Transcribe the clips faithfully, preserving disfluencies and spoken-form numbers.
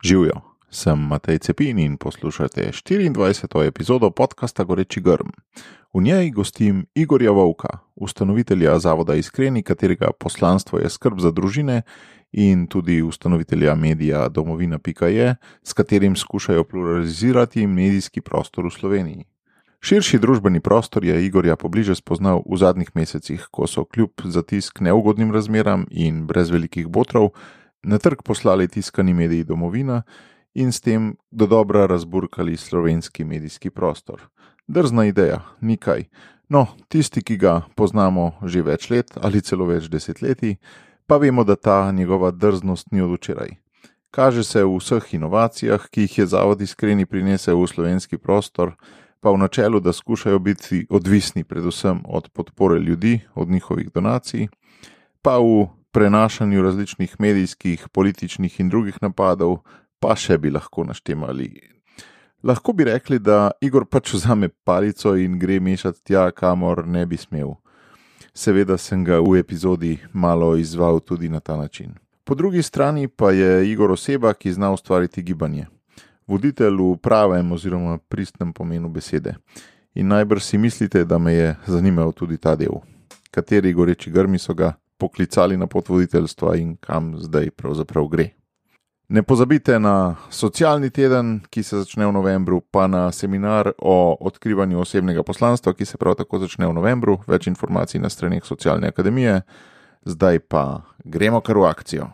Živjo, sem Matej Cepin in poslušate štiriindvajseto epizodo podcasta Goreči grm. V njej gostim Igorja Vovka, ustanovitelja Zavoda Iskreni, katerega poslanstvo je skrb za družine, in tudi ustanovitelja medija domovina pika je, s katerim skušajo pluralizirati medijski prostor v Sloveniji. Širši družbeni prostor je Igorja pobliže spoznal v zadnjih mesecih, ko so kljub zatisk neugodnim razmeram in brez velikih botrov na trg poslali tiskani mediji domovina in s tem dodobra razburkali slovenski medijski prostor. Drzna ideja, nikaj. No, tisti, ki ga poznamo že več let ali celo več desetletij, pa vemo, da ta njegova drznost ni od včeraj. Kaže se v vseh inovacijah, ki jih je Zavod Iskreni prinesel v slovenski prostor, pa v načelu, da skušajo biti odvisni predvsem od podpore ljudi, od njihovih donacij, pa v prenašanju različnih medijskih, političnih in drugih napadov, pa še bi lahko naštemali. Lahko bi rekli, da Igor pač vzame palico in gre mešati tja, kamor ne bi smel. Seveda sem ga v epizodi malo izzval tudi na ta način. Po drugi strani pa je Igor oseba, ki zna ustvariti gibanje. Voditelj v pravem oziroma pristnem pomenu besede. In najbrž si mislite, da me je zanimal tudi ta del. Kateri goreči grmi so ga poklicali na pot voditeljstva in kam zdaj pravzaprav gre. Ne pozabite na socialni teden, ki se začne v novembru, pa na seminar o odkrivanju osebnega poslanstva, ki se prav tako začne v novembru. Več informacij na straneh Socialne akademije. Zdaj pa gremo kar v akcijo.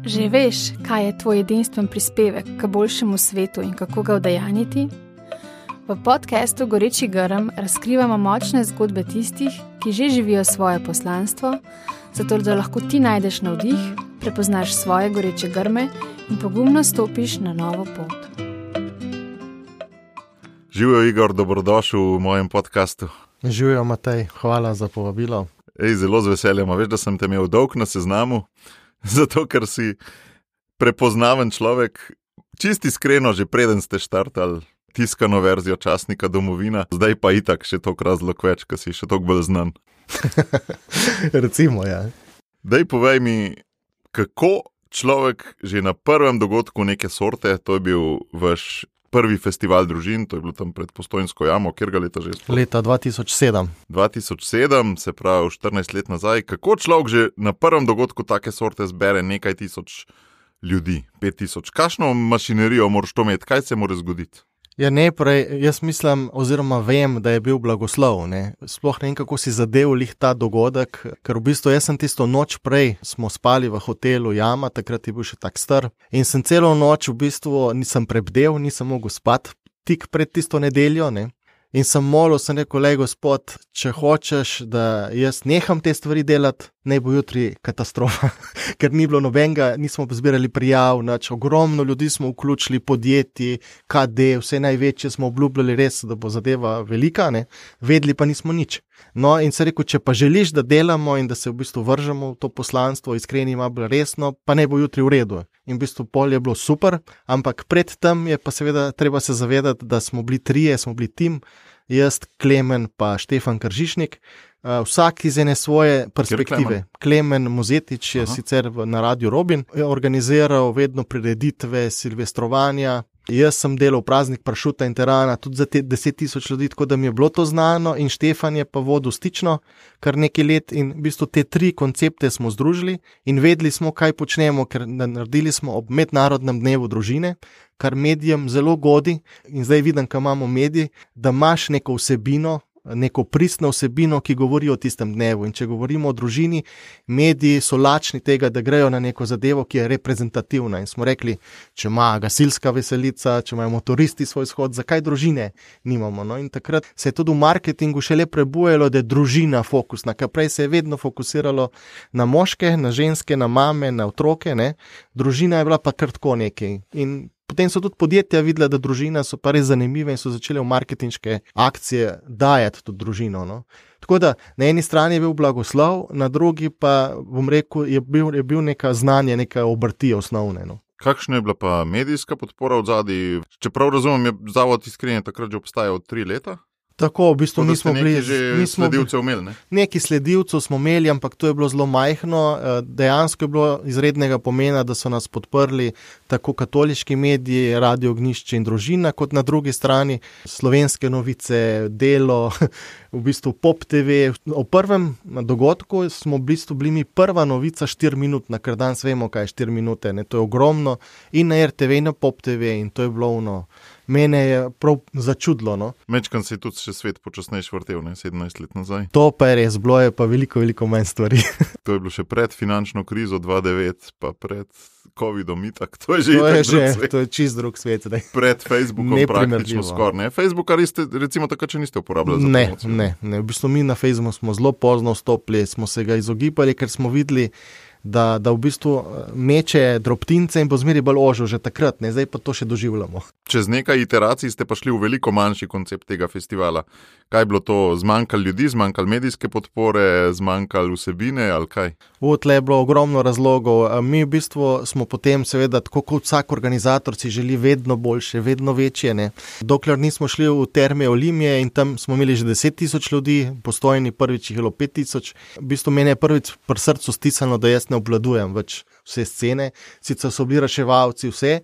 Že veš, kaj je tvoj edinstven prispevek k boljšemu svetu in kako ga udejanjiti? V podcastu Goreči grm razkrivamo močne zgodbe tistih, ki že živijo svoje poslanstvo, zato da lahko ti najdeš navdih, prepoznaš svoje goreče grme in pogumno stopiš na novo pot. Živjo, Igor, dobrodošel v mojem podcastu. Živjo, Matej, hvala za povabilo. Ej, zelo z veseljem, veš, da sem te imel dolg na seznamu, zato ker si prepoznaven človek, čisti iskreno, že preden ste štartali tiskano verzijo časnika Domovina, zdaj pa itak še toliko razlog več, ker si še toliko bolj znan. Recimo, ja. Daj povej mi, kako človek že na prvem dogodku neke sorte, to je bil vaš prvi festival družin, to je bilo tam pred Postojnsko jamo, kjer ga leta že sploh? Leta dva tisoč sedem. dva tisoč sedem, se pravi štirinajst let nazaj. Kako človek že na prvem dogodku take sorte zbere nekaj tisoč ljudi, pet tisoč? Kakšno mašinerijo moraš to imeti, kaj se mora zgoditi? Ja, najprej, jaz mislim, oziroma vem, da je bil blagoslov, ne. Sploh ne vem, kako si zadev lih ta dogodek, ker v bistvu jaz sem tisto noč prej, smo spali v hotelu Jama, takrat je bil še tak star, in sem celo noč v bistvu nisem prebdel, nisem mogel spati tik pred tisto nedeljo, ne. In sem molil, sem rekel, lej gospod, če hočeš, da jaz neham te stvari delati, naj bo jutri katastrofa, ker ni bilo nobenega, nismo zbirali prijav, nač, ogromno ljudi smo vključili, podjetji, K D, vse največje smo obljubljali res, da bo zadeva velika, ne, vedeli pa nismo nič. No, in se rekel, če pa želiš, da delamo in da se v bistvu vržemo v to poslanstvo, iskreni ima bolj resno, pa ne bo jutri v redu. In v bistvu pol je bilo super, ampak pred tem je pa seveda treba se zavedati, da smo bili trije, smo bili tim, jaz, Klemen pa Štefan Kržišnik, uh, vsak iz ene svoje perspektive. Klemen Mozetič je Aha. sicer v, na Radiu Robin, je organiziral vedno prireditve, silvestrovanja. Jaz sem delal praznik Pršuta in Terana tudi za te deset tisoč ljudi, tako da mi je bilo to znano, in Štefan je pa vodil stično kar nekaj let in v bistvu te tri koncepte smo združili in vedeli smo, kaj počnemo, ker naredili smo ob mednarodnem dnevu družine, kar medijem zelo godi, in zdaj vidim, ko imamo medij, da imaš neko vsebino, neko pristno vsebino, ki govori o tistem dnevu. In če govorimo o družini, mediji so lačni tega, da grejo na neko zadevo, ki je reprezentativna. In smo rekli, če ima gasilska veselica, če imajo motoristi svoj shod, zakaj družine nimamo? No, in takrat se je tudi v marketingu šele prebujalo, da je družina fokusna, ker prej se je vedno fokusiralo na moške, na ženske, na mame, na otroke, ne? Družina je bila pa kar tako nekaj. In potem so tudi podjetja videla, da družina so pa res zanimive in so začele v marketinške akcije dajati tudi družino. No. Tako da na eni strani je bil blagoslov, na drugi pa, bom rekel, je bil, je bil neka znanje, neka obrti osnovne. No. Kakšna je bila pa medijska podpora od zadaj? Čeprav razumem, je Zavod Iskreni takrat že obstajal tri leta? Tako, v bistvu Tako, mi smo bili že sledilcev imeli, ne? Neki sledilcev smo imeli, ampak to je bilo zelo majhno. Dejansko je bilo izrednega pomena, da so nas podprli tako katoliški mediji, Radio Ognjišče in Družina, kot na drugi strani Slovenske novice, Delo, v bistvu Pop T V. O prvem dogodku smo v bistvu bili mi prva novica štiri minutna, ker danes vemo, kaj je štiri minute, ne? To je ogromno in na R T V in na Pop T V in to je bilo ono. Mene je prav začudilo. No? Mečkan se je tudi še svet počasnejš vrtel, ne, sedemnajst let nazaj. To pa je res, bilo je pa veliko, veliko manj stvari. To je bilo še pred finančno krizo dva tisoč devet, pa pred covidom itak. To je že to itak je drug že, svet. to je čist drug svet. Daj. Pred Facebookom praktično skoraj, ne? Facebooka ste, recimo, takrat še niste uporabljali za ne, promocijo. Ne, ne. V bistvu mi na Facebooku smo zelo pozno vstopili, smo se ga izogibali, ker smo videli, da, da v bistvu meče drobtince in bo zmeri bolj ožil že takrat, ne? Zdaj pa to še doživljamo. Čez nekaj iteracij ste pa šli v veliko manjši koncept tega festivala. Kaj je bilo to? Zmanjkalo ljudi, zmanjkalo medijske podpore, zmanjkalo vsebine ali kaj? V tle je bilo ogromno razlogov. Mi v bistvu smo potem seveda, tako kot vsak organizator si želi vedno boljše, vedno večje. Ne? Dokler nismo šli v Terme Olimije in tam smo imeli že deset tisoč ljudi, Postojni prvič jih je bilo pet tisoč. V bistvu meni je prvič pri srcu stisnilo, da jaz ne obvladujem več vse scene. Sicer so bili reševalci vse,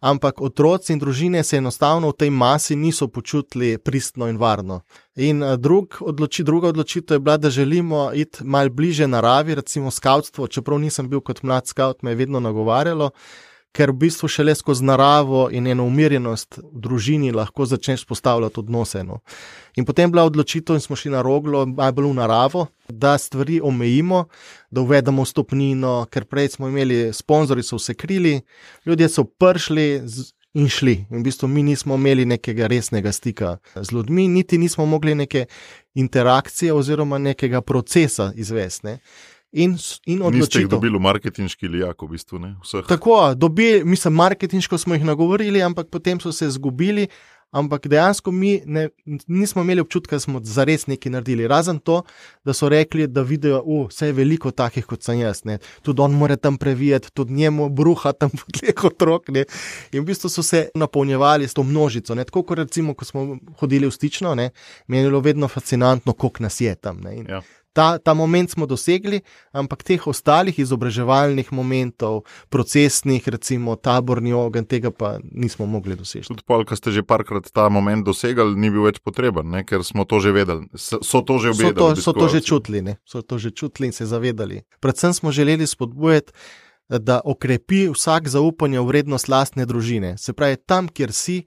ampak otroci in družine se enostavno v tej masi niso počutili pristno in varno. In drug odloči, druga odločitev je bila, da želimo iti malo bliže naravi, recimo skavtstvo, čeprav nisem bil kot mlad skavt, me je vedno nagovarjalo, ker v bistvu šele skozi naravo in eno umirjenost v družini lahko začneš postavljati odnose. No. In potem bila odločitev in smo šli na Roglo, najbolj v naravo, da stvari omejimo, da uvedemo stopnino, ker prej smo imeli, sponzorji so vse krili, ljudje so prišli in šli. In v bistvu mi nismo imeli nekega resnega stika z ljudmi, niti nismo mogli neke interakcije oziroma nekega procesa izvesti. Ne. In, in niste jih dobili v marketinški lijak, v bistvu, ne? Vseh. Tako, dobili, mislim, marketinško smo jih nagovorili, ampak potem so se zgubili, ampak dejansko mi ne, nismo imeli občutka, da smo zares nekaj naredili. Razen to, da so rekli, da vidijo, uh, vse je veliko takih, kot sem jaz, ne? Tudi on mora tam previjati, tudi njemu bruha tam podleh otrok, ne? In v bistvu so se napolnjevali s to množico, ne? Tako kot recimo, ko smo hodili v Stično, ne? Meni je bilo vedno fascinantno, koliko nas je tam, ne? In ja. Ta, ta moment smo dosegli, ampak teh ostalih izobraževalnih momentov, procesnih, recimo taborni ogenj, tega pa nismo mogli doseči. Tudi pol, ko ste že parkrat ta moment dosegali, ni bil več potreben, ne? Ker smo to že vedeli. So to že vedeli. So to, so to že čutili, ne? So to že čutili in se zavedali. Predvsem smo želeli spodbujati, da okrepi vsak zaupanje v vrednost lastne družine. Se pravi, tam, kjer si,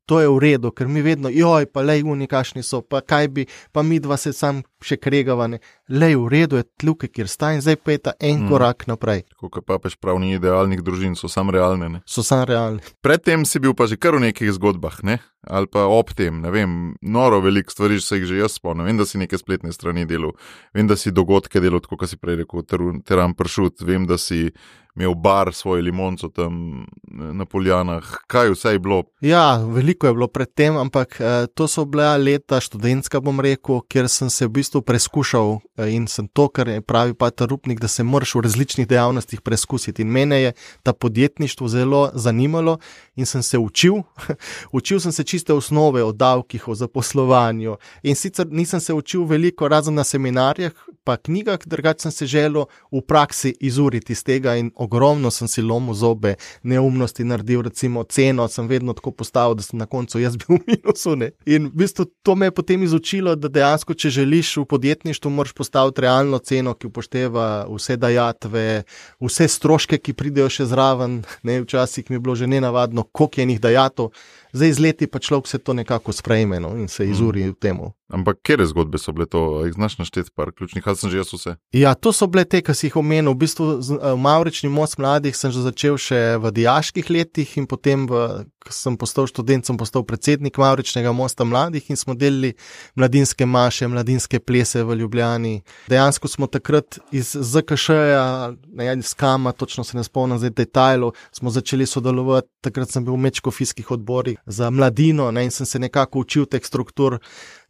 to je v redu, ker mi vedno, joj, pa lej, oni kašni so, pa kaj bi, pa mi dva se sam še kregavane. Lej, v redu je tluke, kjer sta in zdaj pa je ta en mm. korak naprej. Tako kot papež prav ni idealnih družin, so sam realne, ne? So sam realne. Predtem si bil pa že kar v nekih zgodbah, ne? Ali pa ob tem, ne vem, noro veliko stvari se jih že jaz spomnim. Vem, da si neke spletne strani delal, vem, da si dogodke delal, tako kot si prej rekel, Teran Pršut, vem, da si imel bar svoje limonco tam na Poljanah. Kaj vse je bilo? Ja, veliko je bilo pred tem, ampak eh, to so bila leta študentska, bom rekel, kjer sem se v bistvu preskušal eh, in sem to, kar je pravi Pater Rupnik, da se moraš v različnih dejavnostih preskusiti. In mene je ta podjetništvo zelo zanimalo in sem se učil. Učil sem se čiste osnove o davkih, o zaposlovanju in sicer nisem se učil veliko, razen na seminarjah, pa knjigah, drugače sem se želel v praksi izuriti iz tega in ogromno sem si lomil zobe, neumnosti naredil, recimo ceno sem vedno tako postavil, da sem na koncu jaz bil v minusu. Ne? In v bistvu to me je potem izučilo, da dejansko, če želiš v podjetništvu, moraš postaviti realno ceno, ki upošteva vse dajatve, vse stroške, ki pridejo še zraven. Ne? Včasih mi je bilo že nenavadno, koliko je njih dajatov. Zdaj z leti pa človek se to nekako sprejme, no, in se izuri v temu. Ampak kere zgodbe so bile to? Jih znaš našteti par ključnih, ali sem že jaz vse? Ja, to so bile te, ki si jih omenil. V bistvu v Mavrični most mladih sem že začel še v dijaških letih in potem, v, ko sem postal študent, sem postal predsednik Mavričnega mosta mladih in smo delili mladinske maše, mladinske plese v Ljubljani. Dejansko smo takrat iz Z K Š-ja, ne, iz Kama, točno se ne spomnim zdaj detajlov, smo začeli sodelovati. Takrat sem bil v medškofijskih odborih za mladino, ne, in sem se nekako učil teh struktur.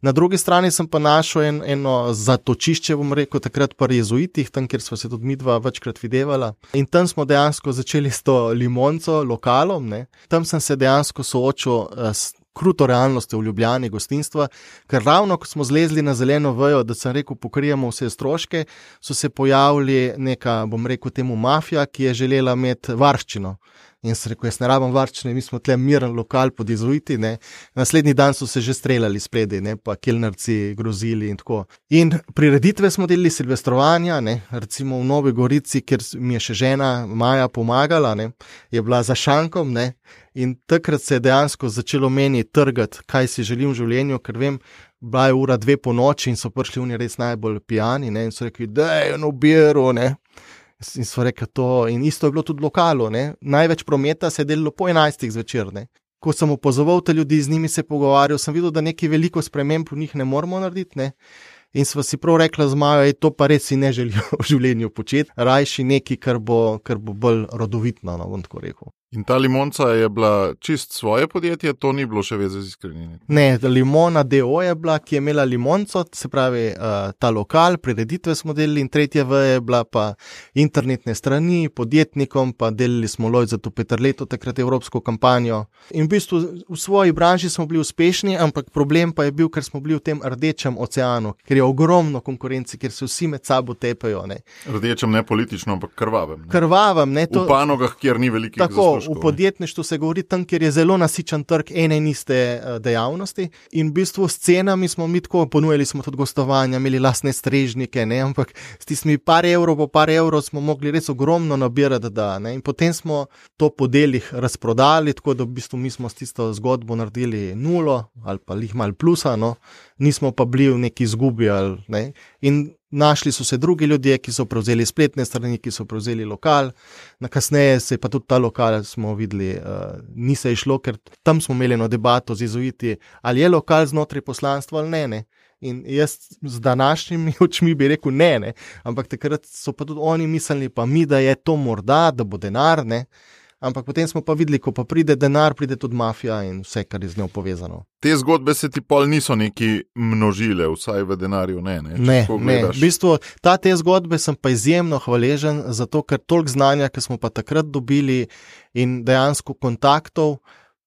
Na drugi strani sem pa našel en, eno zatočišče, bom rekel, takrat pri jezuitih, tam, kjer sva se tudi midva večkrat videvala. In tam smo dejansko začeli s to limonco, lokalom. Ne. Tam sem se dejansko soočil s kruto realnostjo v Ljubljani gostinstva, ker ravno, ko smo zlezli na zeleno vejo, da sem rekel, pokrijemo vse stroške, so se pojavili neka, bom rekel temu mafija, ki je želela imeti varščino. In sem rekel, jaz ne rabim varčne, mi smo tle miren lokal pod izuiti, ne. Naslednji dan so se že streljali spredi, ne, pa kelnerci grozili in tako. In prireditve smo delili, silvestrovanja, ne, recimo v Novi Gorici, kjer mi je še žena Maja pomagala, ne, je bila za šankom, ne, in takrat se je dejansko začelo meni trgati, kaj si želim v življenju, ker vem, bila je ura dve po noči in so prišli oni res najbolj pijani, ne, in so rekli, daj eno biro, ne. In so rekli to, in isto je bilo tudi v lokalu, ne. Največ prometa se je delilo po enajstih zvečer, ne. Ko sem opozoval te ljudi, z njimi se pogovarjal, sem videl, da nekaj veliko sprememb v njih ne moramo narediti, ne. In sva si prav rekla z Majo, ej, to pa res si ne želijo v življenju početi, rajši nekaj, kar bo, kar bo bolj rodovitno, no, bom tako rekel. In ta Limonca je bila čist svoje podjetje, to ni bilo še veze z Iskrenini? Ne, Limona D O je bila, ki je imela Limonco, se pravi uh, ta lokal, prireditve smo delili, in tretja V je bila pa internetne strani, podjetnikom, pa delili smo Lojzetu Peterletu, takrat evropsko kampanjo. In v bistvu v svoji branži smo bili uspešni, ampak problem pa je bil, ker smo bili v tem rdečem oceanu, ker je ogromno konkurenci, ker se vsi med sabo tepejo, ne. Rdečem ne politično, ampak krvavem. Ne? Krvavem, ne. To... V panogah, kjer ni velikih Tako, zaslužkov. V podjetništvu se govori tam, kjer je zelo nasičen trg ene in iste dejavnosti, in v bistvu s cenami smo mi tako ponujali, smo tudi gostovanja, imeli lastne strežnike, ne, ampak s tistimi par evrov po par evrov smo mogli res ogromno nabirati, da, ne, in potem smo to po delih razprodali, tako da v bistvu mi smo s tisto zgodbo naredili nulo ali pa lih mal plusa, no, nismo pa bili v neki izgubi, ali, ne, in našli so se drugi ljudje, ki so prevzeli spletne strani, ki so prevzeli lokal, na kasneje se je pa tudi ta lokal, smo videli, uh, ni se išlo, ker tam smo imeli eno debato z izuiti, ali je lokal znotraj poslanstva ali ne, ne. In jaz z današnjimi očmi bi rekel ne, ne, ampak takrat so pa tudi oni mislili, pa mi, da je to morda, da bo denar, ne. Ampak potem smo pa videli, ko pa pride denar, pride tudi mafija in vse, kar je z njo povezano. Te zgodbe se ti pol niso neki množile, vsaj v denarju ne, ne? Ne, ne. V bistvu, ta te zgodbe sem pa izjemno hvaležen, zato ker toliko znanja, ki smo pa takrat dobili in dejansko kontaktov,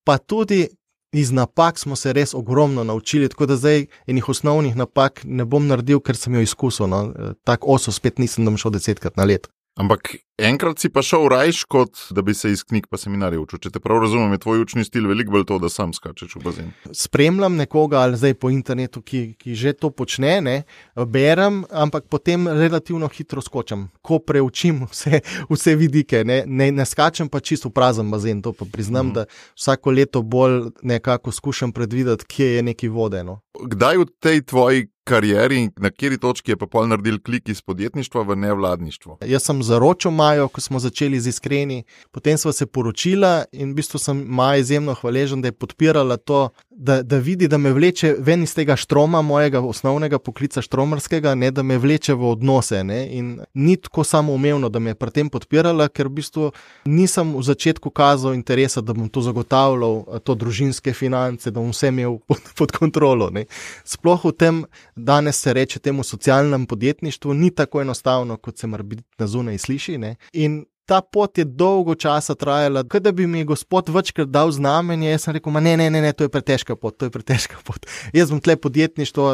pa tudi iz napak smo se res ogromno naučili, tako da zdaj enih osnovnih napak ne bom naredil, ker sem jo izkusil, no. Tak oso spet nisem, da bom šel desetkrat na let. Ampak enkrat si pa šel rajš, kot da bi se iz knjig pa seminarjev učil. Če te prav razumem, je tvoj učni stil veliko bolj to, da sam skačeš v bazen. Spremljam nekoga ali zdaj po internetu, ki, ki že to počne, ne, berem, ampak potem relativno hitro skočam, ko preučim vse, vse vidike, ne, ne, ne skačem pa čisto v prazen bazen, to pa priznam, mm. da vsako leto bolj nekako skušam predvideti, kje je neki vode, no. Kdaj v tej tvoji karieri, na kateri točki je pa pol naredil klik iz podjetništva v nevladništvo? Jaz sem zaročil Majo, ko smo začeli z Iskreni, potem sva se poročila in v bistvu sem Maja izjemno hvaležen, da je podpirala to, da, da vidi, da me vleče ven iz tega štroma, mojega osnovnega poklica štromarskega, ne, da me vleče v odnose, ne, in ni tako samoumevno, da me je pri tem podpirala, ker v bistvu nisem v začetku kazal interesa, da bom to zagotavljal, to družinske finance, da bom vse imel pod, pod kontrolo, ne. Sploh v tem, danes se reče temu socialnem podjetništvu, ni tako enostavno, kot se mar biti na zunaj sliši, ne, in ta pot je dolgo časa trajala, kada bi mi gospod večkrat dal znamenje, jaz sem rekel, ma ne, ne, ne, ne, to je pretežka pot, to je pretežka pot. Jaz bom tle podjetništvo,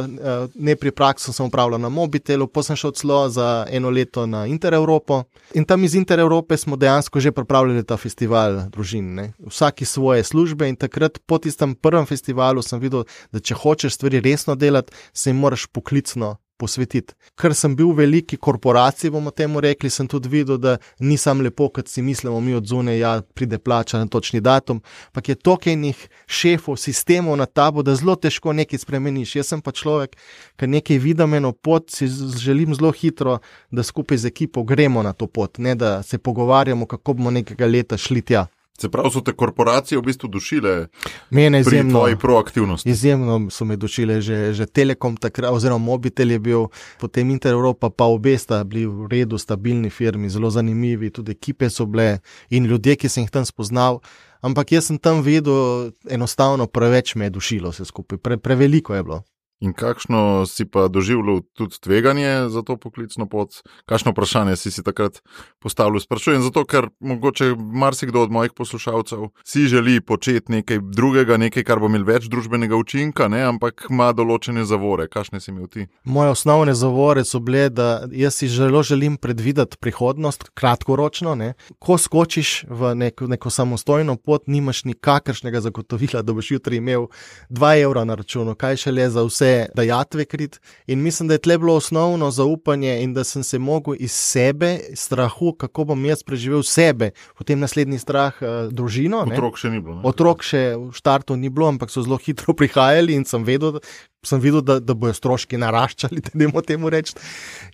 ne pri praksu sem upravljal na Mobitelu, pa sem šel celo za eno leto na Intereuropo in tam iz Intereurope smo dejansko že pripravljali ta festival družin, ne. Vsaki svoje službe in takrat po tistem prvem festivalu sem videl, da če hočeš stvari resno delati, se jim moraš poklicno posvetiti. Ker sem bil v veliki korporaciji, bomo temu rekli, sem tudi videl, da ni sam lepo, kot si mislimo mi od zunaj, ja, pride plača na točni datum, ampak je toliko enih šefov, sistemov na tabo, da zelo težko nekaj spremeniš. Jaz sem pa človek, ker nekaj vidim eno pot, si želim zelo hitro, da skupaj z ekipo gremo na to pot, ne da se pogovarjamo, kako bomo nekega leta šli tja. Se pravi, so te korporacije v bistvu dušile Mene pri izjemno, tvoji proaktivnosti? Izjemno so me dušile, že, že Telekom takrat, oziroma Mobitel je bil, potem Intereuropa, pa obe sta bili v redu, stabilni firmi, zelo zanimivi, tudi ekipe so bile in ljudje, ki sem jih tam spoznal, ampak jaz sem tam videl, enostavno preveč me je dušilo vse skupaj, Pre, preveliko je bilo. In kakšno si pa doživljal tudi tveganje za to poklicno pot? Kakšno vprašanje si si takrat postavil? Sprašujem zato, ker mogoče marsikdo od mojih poslušalcev si želi početi nekaj drugega, nekaj, kar bo imel več družbenega učinka, ne? Ampak ima določene zavore. Kakšne si imel ti? Moje osnovne zavore so bile, da jaz si zelo želim predvideti prihodnost, kratkoročno. Ne? Ko skočiš v neko, neko samostojno pot, nimaš nikakršnega zagotovila, da boš jutri imel dva evra na računu, kaj šele za vse dajatve krit. In mislim, da je tle bilo osnovno zaupanje in da sem se mogel iz sebe, strahu, kako bom jaz preživel sebe, potem naslednji strah uh, družino. Otrok še ni bilo. Ne? Otrok še v štartu ni bilo, ampak so zelo hitro prihajali in sem vedel, sem videl, da, da bojo stroški naraščali, da nemo temu reči.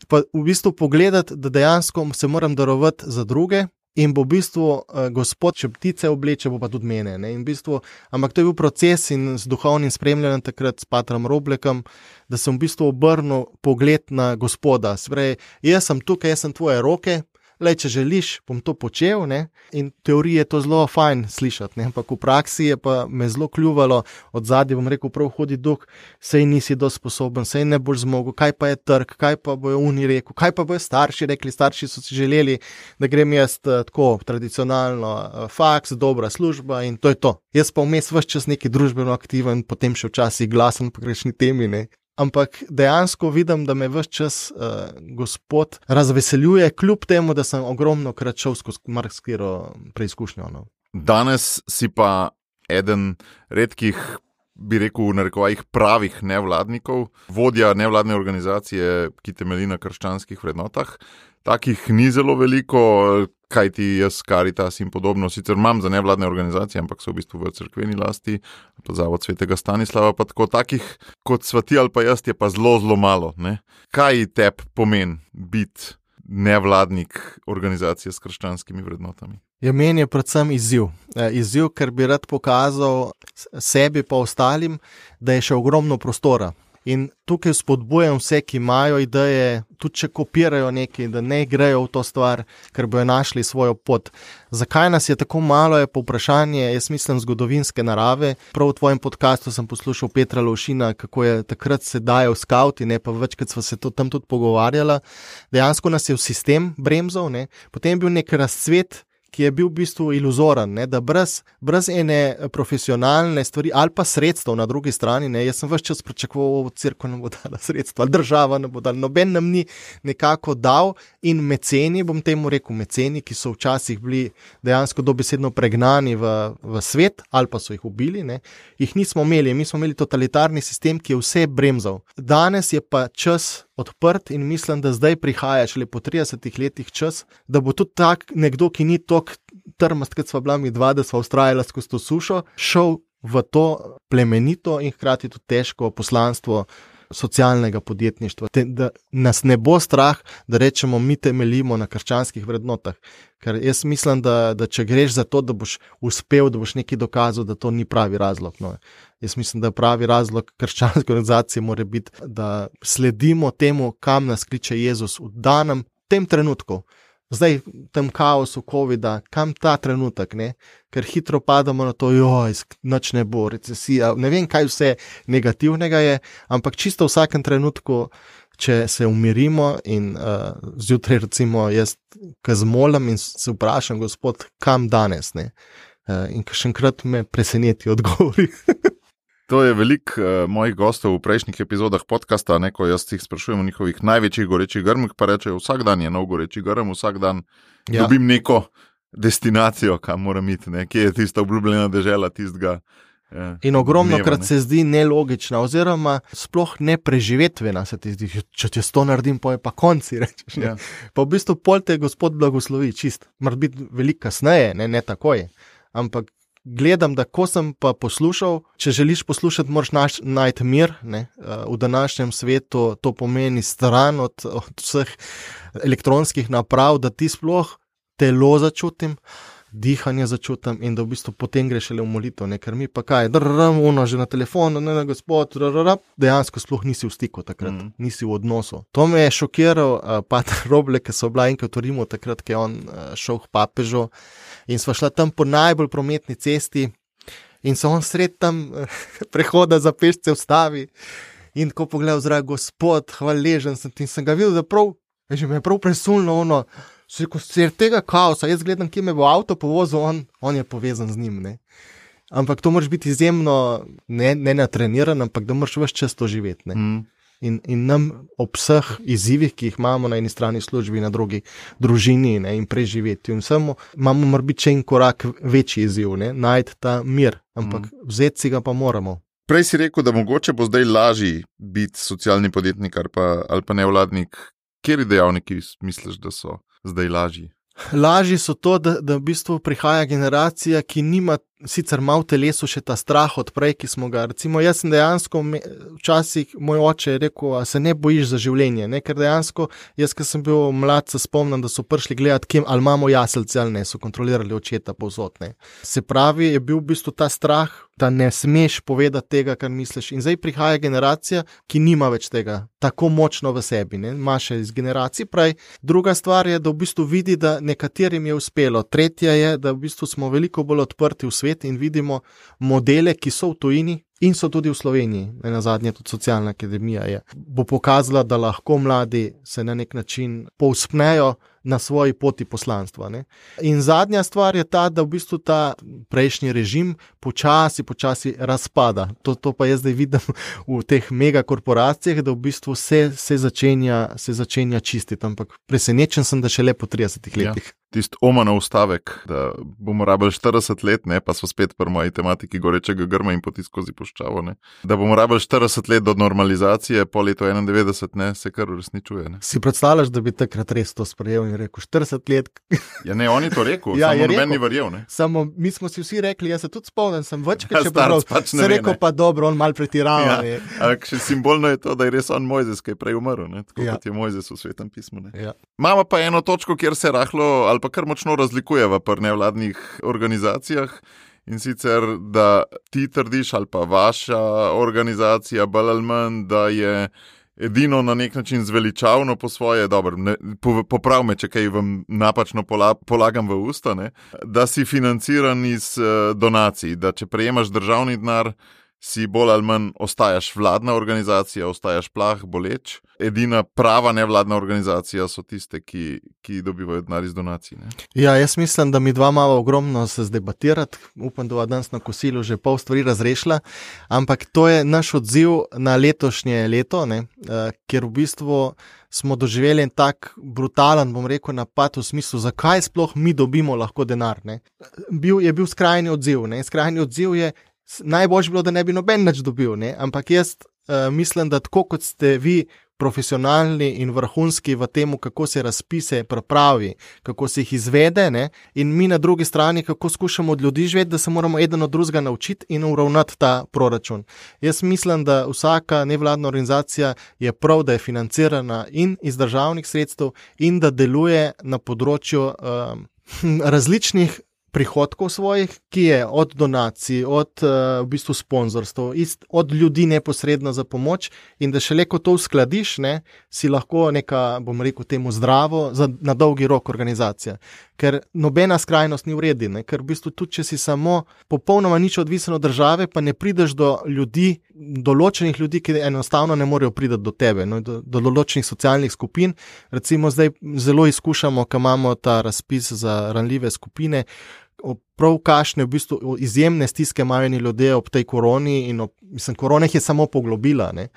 Pa v bistvu pogledati, da dejansko se moram darovati za druge, in bo v bistvu uh, Gospod, če ptice obleče, bo pa tudi mene. Ne? In v bistvu, ampak to je bil proces in z duhovnim spremljanjem takrat s patrom Roblekom, da sem v bistvu obrnil pogled na Gospoda. Sprej, jaz sem tukaj, jaz sem tvoje roke, le če želiš, bom to počel. Ne? In v teoriji je to zelo fajn slišati, ne? Ampak v praksi je pa me zelo kljuvalo, od zadnje bom rekel, prav hodi duh, sej nisi dosti sposoben, sej ne boš zmogel, kaj pa je trg, kaj pa bojo oni rekel, kaj pa bojo starši rekli, starši so si želeli, da grem jaz tako tradicionalno faks, dobra služba in to je to. Jaz pa vmes ves čas neki družbeno aktiven, potem še včasih glasen po grešni temi, ne. Ampak dejansko vidim, da me ves čas uh, Gospod razveseljuje, kljub temu, da sem ogromno krat šel skozi marsikatero preizkušnjo. No. Danes si pa eden redkih, bi rekel, v narekovajih pravih nevladnikov, vodja nevladne organizacije, ki temelji na krščanskih vrednotah. Takih ni zelo veliko, kajti jaz, Karitas in podobno, sicer imam za nevladne organizacije, ampak so v bistvu v cerkveni lasti, pa Zavod svetega Stanislava, pa tako takih kot sva ti ali pa jaz je pa zelo, zelo malo. Ne? Kaj tebi pomeni biti nevladnik organizacije s krščanskimi vrednotami? Ja, meni je predvsem izziv. Izziv, ker bi rad pokazal sebi pa ostalim, da je še ogromno prostora. In tukaj spodbujam vse, ki imajo ideje, tudi če kopirajo nekaj, da ne grejo v to stvar, ker bojo našli svojo pot. Zakaj nas je tako malo, je povprašanje, jaz mislim, zgodovinske narave. Prav v tvojem podcastu sem poslušal Petra Lovšina, kako je takrat se dajal skauti, ne, pa večkrat sva se to tam tudi pogovarjala. Dejansko nas je v sistem bremzal, ne. Potem je bil nek razcvet, ki je bil v bistvu iluzoren, ne, da brez, brez ene profesionalne stvari ali pa sredstev na drugi strani, ne, jaz sem ves čas pričakoval, cerkev nam bo dala sredstva, država nam bo dala, noben nam ni nekako dal in meceni, bom temu rekel meceni, ki so včasih bili dejansko dobesedno pregnani v, v svet ali pa so jih ubili, ne, jih nismo imeli, mi smo imeli totalitarni sistem, ki je vse bremzal. Danes je pa čas odprt in mislim, da zdaj prihaja šele po tridesetih letih čas, da bo tudi tak nekdo, ki ni tok trmast, kot sva bila mi dva, da sva ustrajala skozi to sušo, šel v to plemenito in hkrati tudi težko poslanstvo socialnega podjetništva. Te, da nas ne bo strah, da rečemo, mi temeljimo na krščanskih vrednotah. Ker jaz mislim, da, da če greš za to, da boš uspel, da boš nekaj dokazal, da to ni pravi razlog. No. Jaz mislim, da pravi razlog krščanske organizacije mora biti, da sledimo temu, kam nas kliče Jezus v danem tem trenutku. Zdaj, v tem kaosu covida, kam ta trenutek, ne? Ker hitro padamo na to, joj, nič ne bo, recesija, ne vem, kaj vse negativnega je, ampak čisto v vsakem trenutku, če se umirimo in uh, zjutraj recimo jaz kazmolam in se vprašam, Gospod, kam danes, ne? Uh, in kakšenkrat me preseneti odgovori. To je veliko uh, mojih gostov v prejšnjih epizodah podcasta, ne, ko jaz jih sprašujem o njihovih največjih gorečih grmih, pa rečejo, vsak dan je nov goreči grm, vsak dan ja. Dobim neko destinacijo, kam moram iti, ne, kje je tista obljubljena dežela tistega. Ja, in ogromno dneva, krat ne. se zdi nelogična, oziroma sploh nepreživetvena se ti zdi, če če to naredim, pa je pa konci, rečeš. Ja. Pa v bistvu pol te Gospod blagoslovi, čist, mora biti veliko kasneje, ne, ne takoj, ampak gledam, da ko sem pa poslušal, če želiš poslušati, moraš naš, najti mir, ne? V današnjem svetu to pomeni stran od, od vseh elektronskih naprav, da ti sploh telo začutim, dihanje začutim in da v bistvu potem greš le v molitev, ne? Ker mi pa kaj, drrrm, ono že na telefonu, ne, ne, Gospod, drrrm, dejansko sploh nisi v stiku takrat, mm. nisi v odnosu. To me je šokiral uh, pater Roblek, ki so bila enkrat v Rimu takrat, ki je on uh, šel k papežu in sva šla tam po najbolj prometni cesti in so on sred tam uh, prehoda za pešce ustavi in tako pogledal zrak, gospod, hvaležen sem ti in sem ga videl, da prav, že me je prav presulno ono, ko se tega kaosa, jaz gledam, kje me bo avto povozil, on, on je povezan z njim, ne. Ampak to moraš biti izjemno, ne, ne natreniran, ampak da moraš ves čas to živeti, ne. Mm. In, in nam ob vseh izzivih, ki jih imamo na eni strani službi, na drugi družini, ne, in preživeti. In vsemu imamo mora biti še en korak večji izziv, ne, najti ta mir, ampak mm. vzeti si ga pa moramo. Prej si rekel, da mogoče bo zdaj lažji biti socialni podjetnik ali pa, ali pa nevladnik. Kateri dejavniki misliš, da so zdaj lažji? Lažji so to, da, da v bistvu prihaja generacija, ki nima sicer malo v telesu še ta strah od prej, ki smo ga. Recimo, jaz sem dejansko, včasih moj oče je rekel, a se ne bojiš za življenje, ne? Ker dejansko, jaz, ko sem bil mlad, se spomnim, da so prišli gledati, kim, ali imamo jaselce ali ne, so kontrolirali očeta povsod, ne. Se pravi, je bil v bistvu ta strah, da ne smeš povedati tega, kar misliš. In zdaj prihaja generacija, ki nima več tega tako močno v sebi, ne, ima še iz generacij prej. Druga stvar je, da v bistvu vidi, da nekaterim je uspelo. Tretja je, da v bistvu smo veliko bolj odprti v svet in vidimo modele, ki so v tujini in so tudi v Sloveniji. Nenazadnje tudi socialna akademija je. Bo pokazala, da lahko mladi se na nek način povzpnejo na svoji poti poslanstva, ne. In zadnja stvar je ta, da v bistvu ta prejšnji režim počasi, počasi razpada. To, to pa jaz zdaj vidim v teh megakorporacijah, da v bistvu se, se, začenja, se začenja čistiti, ampak presenečen sem, da šele po tridesetih letih. Ja. Tisti Omanov stavek, da bomo rabili štirideset let, ne, pa so spet pri moji tematiki gorečega grma in poti skozi puščavo, ne, da bomo rabili štirideset let do normalizacije, po letu enaindevetdeset, ne, se kar uresničuje, ne. Si predstavljaš, da bi takrat res to sprejel in rekel štirideset let? Ja, ne, on je to rekel, ja, samo noben ni verjel, ne. Samo mi smo si vsi rekli, jaz se tudi spomnim, sem večkrat še prav, pač se rekel pa dobro, on mal pretirava. Ja, ampak še simbolno je to, da je res on Mojzes, ki je prej umrl, ne, tako ja. Kot je Mojzes v Svetem pismu, ne. Ja. Imamo pa eno točko, kjer se rahlo ali pa kar močno razlikujeva pri nevladnih organizacijah, in sicer, da ti trdiš ali pa vaša organizacija bolj ali manj, da je edino na nek način zveličavno po svoje, dobro, ne, poprav me, če kaj vam napačno pola, polagam v usta, ne, da si financiran iz uh, donacij, da če prejemaš državni denar, si bolj ali manj ostajaš vladna organizacija, ostajaš plah, boleč. Edina prava nevladna organizacija so tiste, ki, ki dobivajo denar iz donacij. Ne? Ja, jaz mislim, da mi dva malo ogromno se zdebatirati. Upam, da bo danes na kosilu že pol stvari razrešila, ampak to je naš odziv na letošnje leto, ne? Ker v bistvu smo doživeli en tak brutalen, bom rekel, napad v smislu, zakaj sploh mi dobimo lahko denar. Ne? Bil, je bil skrajni odziv. Ne? Skrajni odziv je, najboljše bilo, da ne bi noben nič dobil, ne? Ampak jaz uh, mislim, da tako kot ste vi profesionalni in vrhunski v temu, kako se razpise pripravi, kako se jih izvede, ne? In mi na drugi strani, kako skušamo od ljudi živeti, da se moramo eden od drugega naučiti in uravnati ta proračun. Jaz mislim, da vsaka nevladna organizacija je prav, da je financirana in iz državnih sredstev in da deluje na področju uh, različnih prihodkov svojih, ki je od donacij, od uh, v bistvu sponzorstv, od ljudi neposredno za pomoč, in da šele ko to uskladiš, ne, si lahko neka, bom rekel temu, zdravo, za, na dolgi rok organizacija. Ker nobena skrajnost ni v redu, ne, ker v bistvu tudi, če si samo popolnoma nič odvisen od države, pa ne prideš do ljudi, določenih ljudi, ki enostavno ne morejo priti do tebe, no, do, do določenih socialnih skupin. Recimo zdaj zelo izkušamo, ko imamo ta razpis za ranljive skupine, prav kakšne v bistvu izjemne stiske imajo ljudje ob tej koroni in ob, mislim, korona jih je samo poglobila, ne?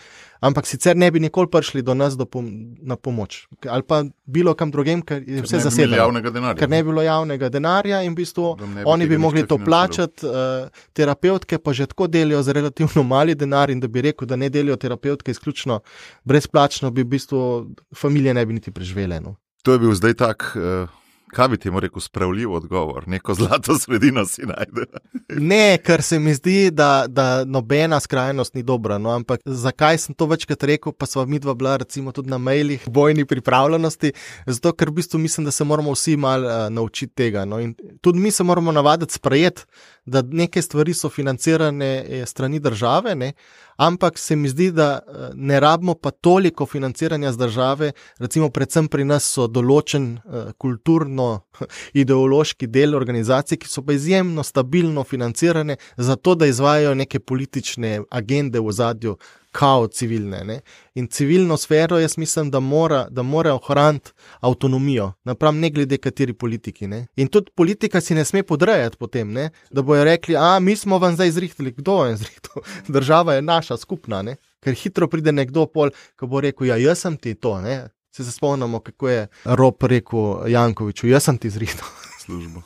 Ampak sicer ne bi nikoli prišli do nas do pom- na pomoč. Ali pa bilo kam drugem, ker je vse zasedeno. Ker ne bi bilo javnega denarja in v bistvu bi oni bi mogli to plačati, uh, terapeutke pa že tako delijo za relativno mali denar, in da bi rekel, da ne delijo terapeutke izključno brezplačno, bi v bistvu familije ne bi niti preživele. No? To je bil zdaj tak... Uh... Kaj bi ti mu rekel, spravljiv odgovor? Neko zlato sredino si najde. Ne, ker se mi zdi, da, da nobena skrajnost ni dobra. No, ampak zakaj sem to večkrat rekel, pa sva midva bila recimo tudi na mailih bojni pripravljenosti, zato ker v bistvu mislim, da se moramo vsi malo uh, naučiti tega. No, in tudi mi se moramo navaditi sprejeti, da neke stvari so financirane strani države, ne, ampak se mi zdi, da ne rabimo pa toliko financiranja z države, recimo predvsem pri nas so določen uh, kulturno-ideološki del organizacij, ki so pa izjemno stabilno financirane, zato da izvajajo neke politične agende v ozadju, kao civilne. Ne? In civilno sfero jaz mislim, da mora, da mora ohraniti avtonomijo, napram ne glede kateri politiki. Ne? In tudi politika si ne sme podrejati potem, ne? Da bojo rekli, a mi smo vam zdaj izrihtali, kdo je izrihtal? Država je naša, skupna, ne? Ker hitro pride nekdo pol, ko bo rekel, ja, jaz sem ti to, ne? Se se spomnimo, kako je Rob rekel Jankoviču, jaz sem ti izrihtal službo.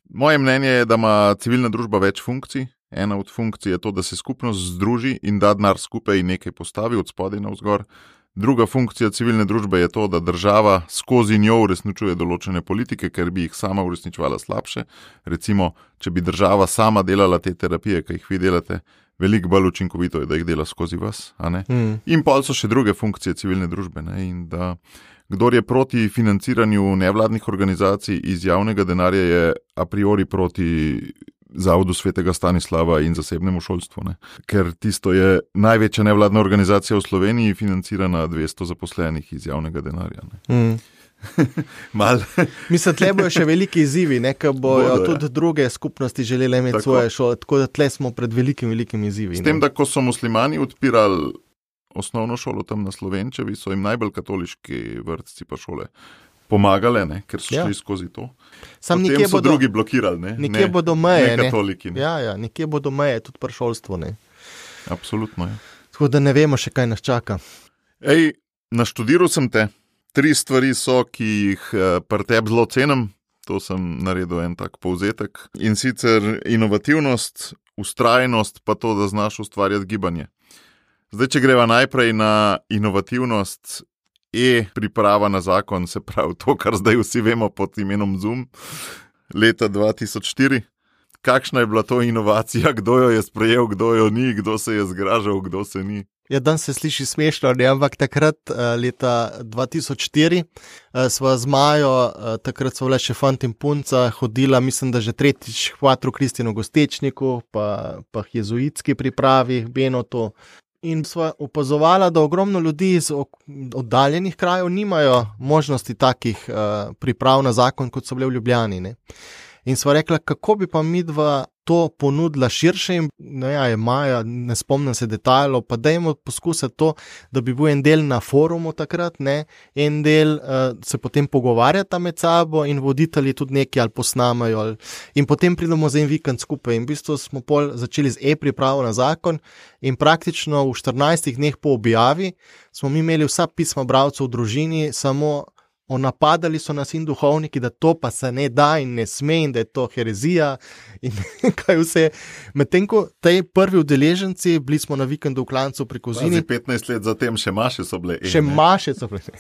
Moje mnenje je, da ima civilna družba več funkcij. Ena od funkcij je to, da se skupnost združi in da denar skupaj in nekaj postavi od spodaj navzgor. Druga funkcija civilne družbe je to, da država skozi njo uresničuje določene politike, ker bi jih sama uresničevala slabše. Recimo, če bi država sama delala te terapije, ki jih vi delate, veliko bolj učinkovito je, da jih dela skozi vas. A ne? Mm. In pol so še druge funkcije civilne družbe. Ne? In da kdor je proti financiranju nevladnih organizacij iz javnega denarja, je a priori proti Zavodu svetega Stanislava in zasebnemu šolstvu. Ne? Ker tisto je največja nevladna organizacija v Sloveniji, financirana dvesto zaposlenih iz javnega denarja. Ne? Mm. Mal. Mislim, tle bojo še veliki izzivi, ker bojo Bodo, tudi ja. druge skupnosti želeli imeti tako. Svoje šole, tako da tle smo pred velikim, velikim izzivi. S tem, ne? Da ko so muslimani odpirali osnovno šolo tam na Slovenčevi, so jim najbolj katoliški vrtci pa šole pomagale, ne? Ker so ja. šli skozi to. Sam Potem so bodo, drugi blokirali. Ne? Nekje ne, bodo meje. Ne katoliki. Ne? Ja, ja, nekje bodo meje, tudi pri šolstvu. Ne? Absolutno je. Tako da ne vemo še, kaj nas čaka. Ej, naštudiral sem te. Tri stvari so, ki jih pri tebi zelo cenim. To sem naredil en tak povzetek. In sicer inovativnost, ustrajnost, pa to, da znaš ustvarjati gibanje. Zdaj, če greva najprej na inovativnost, e-priprava na zakon, se pravi to, kar zdaj vsi vemo pod imenom Zoom, leta dva tisoč štiri. Kakšna je bila to inovacija, kdo jo je sprejel, kdo jo ni, kdo se je zgražal, kdo se ni? Ja, danes se sliši smešno, ne? Ampak takrat, leta dva tisoč štiri, sva z Majo, takrat so bile še fant in punca, hodila, mislim, da že tretjič Quattro Kristino Gostečniku, pa, pa jezuitski pripravi, Benotu. In sva opazovala, da ogromno ljudi iz oddaljenih krajev nimajo možnosti takih uh, priprav na zakon, kot so bile v Ljubljani. Ne? In sva rekla, kako bi pa midva to ponudila širše in no ja, je Maja, ne spomnim se detajlov, pa dajmo poskusiti to, da bi bil en del na forumu takrat, ne? En del uh, se potem pogovarjata med sabo in voditelji tudi nekaj ali posnamajo ali... in potem pridemo za en vikend skupaj in v bistvu smo pol začeli z e-pripravo na zakon in praktično v štirinajstih dneh po objavi smo mi imeli vsa pisma bralcev v družini, samo napadali so nas in duhovniki, da to pa se ne da in ne sme in da je to herezija in kaj vse. Medtem ko tej prvi udeleženci, bili smo na vikendu v Klancu pri Kozini. Pazi, petnajst let zatem še maše so bile. Še maše so bile.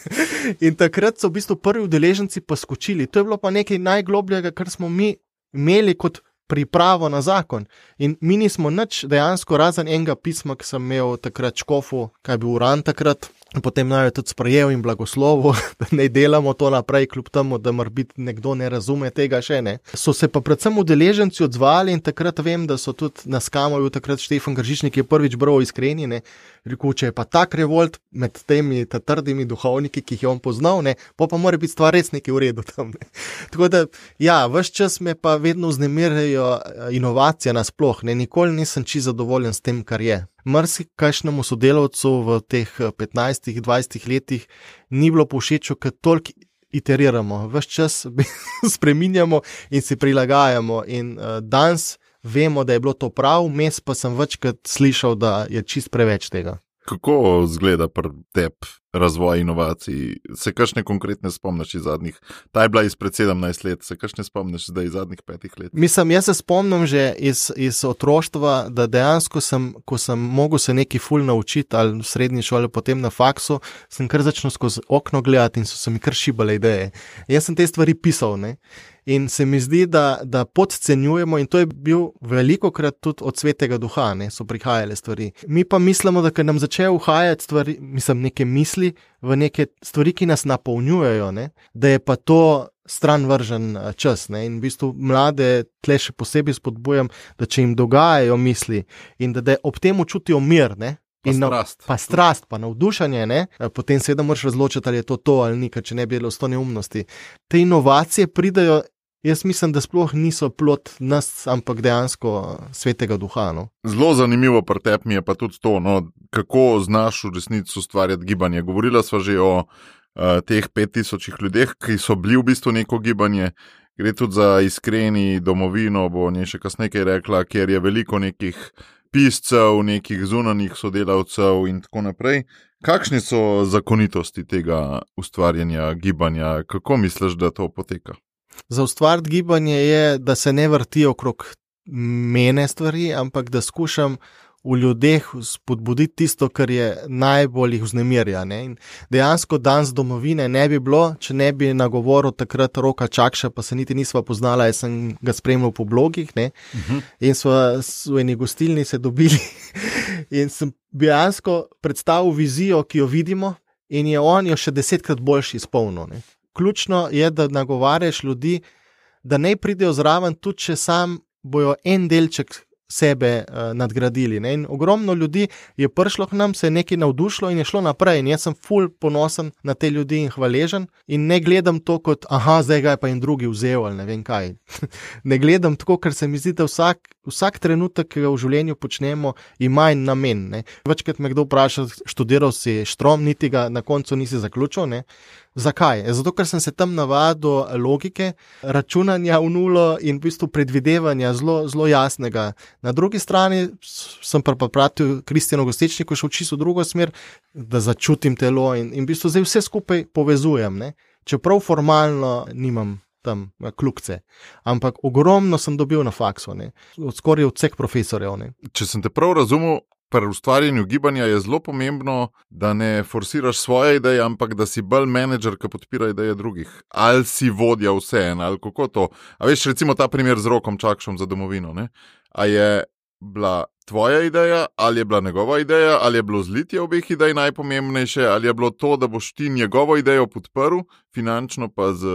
In takrat so v bistvu prvi udeleženci poskočili. To je bilo pa nekaj najglobljega, kar smo mi imeli kot pripravo na zakon. In mi nismo nič dejansko razen enega pisma, ki sem imel takrat škofu, kaj je bil Uran takrat, potem naj jo tudi sprejel in blagoslovo, da ne delamo to naprej, kljub temu, da morbiti nekdo ne razume tega še ne. So se pa predvsem udeleženci odzvali in takrat vem, da so tudi na Skamu bil takrat Štefan Gržičnik, ki je prvič bral Iskreni, ne, rekel, če je pa tak revolt med temi trdimi duhovniki, ki jih je on poznal, ne, pa pa mora biti stvar res nekaj v redu tam. Ne. Tako da, ja, ves čas me pa vedno vznemirjajo inovacije nasploh, ne, nikoli nisem čisto zadovoljen s tem, kar je. Marsikajšnemu sodelavcu v teh petnajstih, dvajsetih letih ni bilo povšečo, ker toliko iteriramo, ves čas spreminjamo in si prilagajamo in uh, danes vemo, da je bilo to prav, mes pa sem večkrat slišal, da je čist preveč tega. Kako zgleda pri tebi razvoj inovacij? Se kakšne konkretne spomniš iz zadnjih? Ta je bila izpred sedemnajst let, se kakšne spomniš zdaj iz zadnjih petih let? Mislim, jaz se spomnim že iz, iz otroštva, da dejansko sem, ko sem mogel se nekaj ful naučiti, ali v srednji šoli, potem na faksu, sem kar začel skozi okno gledati in so se mi kar šibale ideje. Jaz sem te stvari pisal, ne? In se mi zdi, da, da podcenjujemo in to je bil velikokrat tudi od svetega duha, ne, so prihajale stvari. Mi pa mislimo, da ker nam začejo uhajati stvari, mislim, neke misli v neke stvari, ki nas napolnjujejo, ne, da je pa to stran vržen čas, ne, in v bistvu mlade tle še posebej spodbujam, da če jim dogajajo misli in da, da ob tem čutijo mir, ne, Pa strast. Pa strast, pa navdušanje, ne? Potem seveda moraš razločiti, ali je to to ali ni, ker če ne bi bilo sto neumnosti. Te inovacije pridajo jaz mislim, da sploh niso plod nas, ampak dejansko svetega duha. No. Zelo zanimivo pri tebi mi je pa tudi to, no, kako znaš v resnici ustvarjati gibanje. Govorila sva že o uh, teh pet tisočih ljudeh, ki so bili v bistvu neko gibanje. Gre tudi za iskreni domovino, bo nje še kasneje kaj rekla, kjer je veliko nekih piscev, nekih zunanjih sodelavcev in tako naprej. Kakšne so zakonitosti tega ustvarjanja gibanja? Kako misliš, da to poteka? Za ustvariti gibanje je, da se ne vrti okrog mene stvari, ampak da skušam v ljudeh spodbuditi tisto, kar je najbolj jih vznemirja. Ne? In dejansko dan z domovine ne bi bilo, če ne bi nagovoril takrat Roka Čakša, pa se niti nisva poznala, jaz sem ga spremljal po blogih, ne? Uh-huh. In sva v eni gostilni se dobili in sem dejansko predstavil vizijo, ki jo vidimo, in je on jo še desetkrat boljši izpolnil. Ne? Ključno je, da nagovarjaš ljudi, da ne pridejo zraven, tudi če sam bojo en delček sebe uh, nadgradili. Ne? In ogromno ljudi je prišlo k nam, se je nekaj navdušilo in je šlo naprej. In jaz sem ful ponosen na te ljudi in hvaležen in ne gledam to kot, aha, zdaj ga je pa in drugi vzel ali ne vem kaj. Ne gledam tako, ker se mi zdi, da vsak, vsak trenutek, ki ga v življenju počnemo, ima en namen. Ne? Večkrat me kdo vpraša, študiral si štrom, niti ga na koncu nisi zaključil, ne? Zakaj? Zato, ker sem se tam navadil logike, računanja v nulo in v bistvu predvidevanja zelo, zelo jasnega. Na drugi strani sem pa pratil Kristjanu Gostečniku še v čisto drugo smer, da začutim telo in, in v bistvu zdaj vse skupaj povezujem. Ne? Čeprav formalno nimam tam klukce, ampak ogromno sem dobil na faksu, ne? Od skoraj od vseh profesorjev. Ne? Če sem te prav razumel, pri ustvarjanju gibanja je zelo pomembno, da ne forsiraš svoje ideje, ampak da si bolj menedžer, ki podpira ideje drugih. Ali si vodja vseeno, ali kako to. A veš, recimo ta primer z Rokom Čakšom za domovino. Ne? A je bila tvoja ideja, ali je bila njegova ideja, ali je bilo zlitje obeh idej najpomembnejše, ali je bilo to, da boš ti njegovo idejo podprl, finančno pa z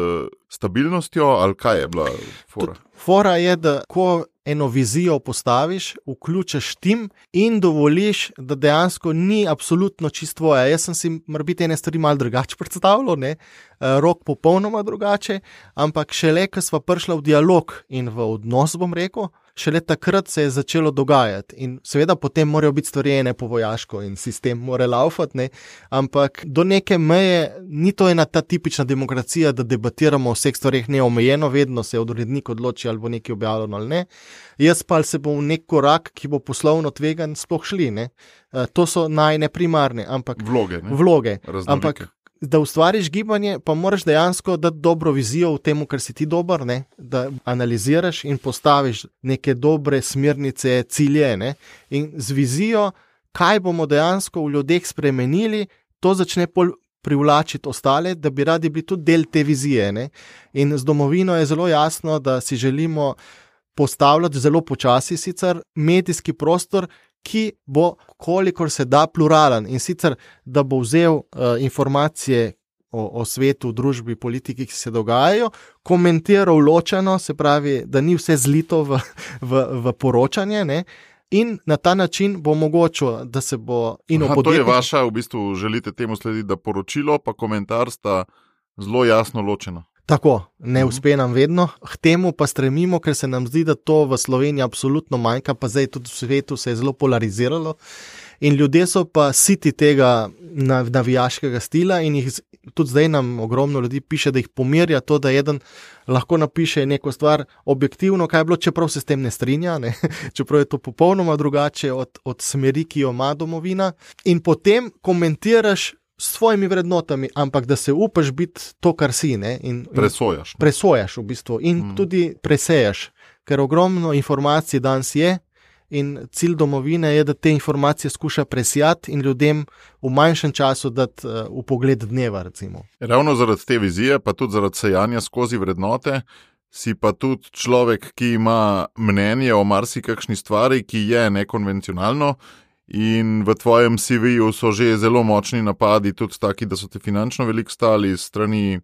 stabilnostjo, ali kaj je bila fora? Fora je, da ko eno vizijo postaviš, vključiš tim in dovoliš, da dejansko ni absolutno čisto tvoja. Jaz sem si morebiti ene stvari malo drugače predstavljal, ne? Rok popolnoma drugače, ampak šele, ko sva prišla v dialog in v odnos, bom rekel, šele takrat se je začelo dogajati. In seveda potem morajo biti stvari ene po vojaško in sistem mora laufati, ne? Ampak do neke meje ni to ena ta tipična demokracija, da debatiramo o vseh stvarih neomejeno, vedno se odrednik odloči, ali bo nekaj objavljeno ali ne. Jaz pa se bom v nek korak, ki bo poslovno tvegan, sploh šli. Ne? To so najne primarne, ampak vloge. Ne? Vloge. Ampak da ustvariš gibanje, pa moraš dejansko dati dobro vizijo v tem, kar si ti dober, ne? Da analiziraš in postaviš neke dobre smernice, cilje. Ne? In z vizijo, kaj bomo dejansko v ljudeh spremenili, to začne pol privlačiti ostale, da bi radi bili tudi del te vizije. Ne? In z domovino je zelo jasno, da si želimo postavljati zelo počasi sicer medijski prostor, ki bo kolikor se da pluralen in sicer, da bo vzel uh, informacije o, o svetu, družbi, politiki, ki se dogajajo, komentiral ločeno, se pravi, da ni vse zlito v, v, v poročanje, ne? In na ta način bo mogoče, da se bo in Aha, podjetnik... To je vaša, v bistvu želite temu slediti, da poročilo pa komentar sta zelo jasno ločena. Tako, ne uspe nam vedno, k temu pa stremimo, ker se nam zdi, da to v Sloveniji absolutno manjka, pa zdaj tudi v svetu se je zelo polariziralo in ljudje so pa siti tega navijaškega stila in jih tudi zdaj nam ogromno ljudi piše, da jih pomirja to, da eden lahko napiše neko stvar objektivno, kaj je bilo, čeprav se s tem ne strinja, ne? Čeprav je to popolnoma drugače od, od smeri, ki jo ima domovina in potem komentiraš s svojimi vrednotami, ampak da se upaš biti to, kar si. Ne? In, presojaš. Ne? Presojaš v bistvu in mm. tudi presejaš, ker ogromno informacij danes je in cilj domovine je, da te informacije skuša presijati in ljudem v manjšem času dati uh, v pogled dneva, recimo. Ravno zaradi te vizije, pa tudi zaradi sejanja skozi vrednote, si pa tudi človek, ki ima mnenje o marsikakšni stvari, ki je nekonvencionalno. In v tvojem C V-ju so že zelo močni napadi, tudi taki, da so te finančno veliko stali strani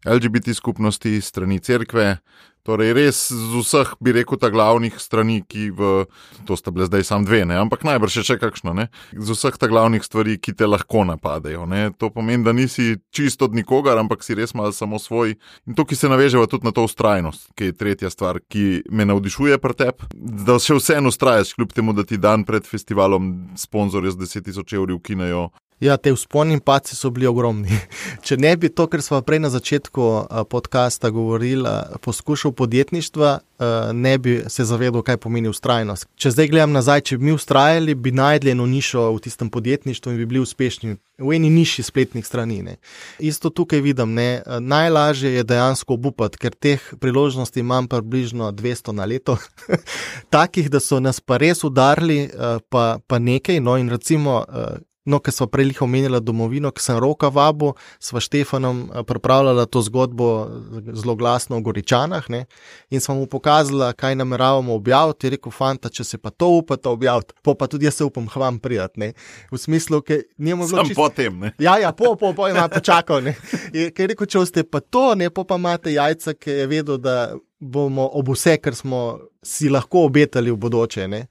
el ge be te skupnosti, strani cerkve, torej res z vseh, bi rekel, ta glavnih strani, ki v, to sta bile zdaj sam dve, ne, ampak najbrž je še kakšno, ne, z vseh ta glavnih stvari, ki te lahko napadejo, ne, to pomeni, da nisi čisto od nikogar, ampak si res malo samo svoj in to, ki se naveževa tudi na to ustrajnost, ki je tretja stvar, ki me navdišuje pri tebi, da še vseeno ustrajaš, kljub temu, da ti dan pred festivalom sponzorje z deset tisoč evri ukinejo. Ja, te vzponi in padci so bili ogromni. Če ne bi to, kar smo prej na začetku podcasta govorili, poskušal podjetništva, ne bi se zavedal, kaj pomeni vztrajnost. Če zdaj gledam nazaj, če bi mi vztrajali, bi najdli eno nišo v tistem podjetništvu in bi bili uspešni v eni niši spletnih strani. Ne. Isto tukaj vidim, ne. Najlažje je dejansko obupati, ker teh priložnosti imam približno dvesto na leto. Takih, da so nas pa res udarili, pa, pa nekaj, no in recimo No, ker sva prej lih omenila domovino, ki sem Roka vabil, sva Štefanom pripravljala to zgodbo zelo glasno o Goričanah, ne, in sva mu pokazala, kaj nameravamo objaviti, je rekel, fanta, če se pa to upata objaviti, po pa tudi jaz se upam k vam prijat, ne, v smislu, ker njemu je bilo čisto... Sam potem, ne. Ja, ja, po, po, po, ima počakal, ne, ker je rekel, če ste pa to, ne, po pa imate jajca, ki je vedel, da bomo ob vse, kar smo si lahko obetali v bodoče, ne.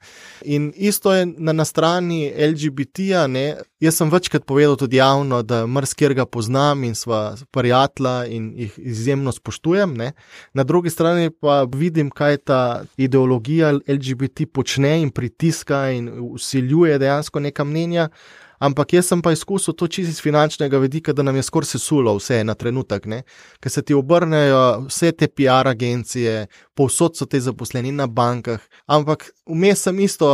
In isto je na, na strani el ge be te-ja, ne, jaz sem večkrat povedal tudi javno, da marsikjer ga poznam in sva prijatelja in jih izjemno spoštujem, ne. Na drugi strani pa vidim, kaj ta ideologija el ge be te počne in pritiska in vsiljuje dejansko neka mnenja. Ampak jaz sem pa izkusil to čisto iz finančnega vidika, da nam je skoraj sesulo vse na trenutek, ne, ker se ti obrnejo vse te pi ar agencije, povsod so te zaposleni na bankah, ampak vmes sem isto,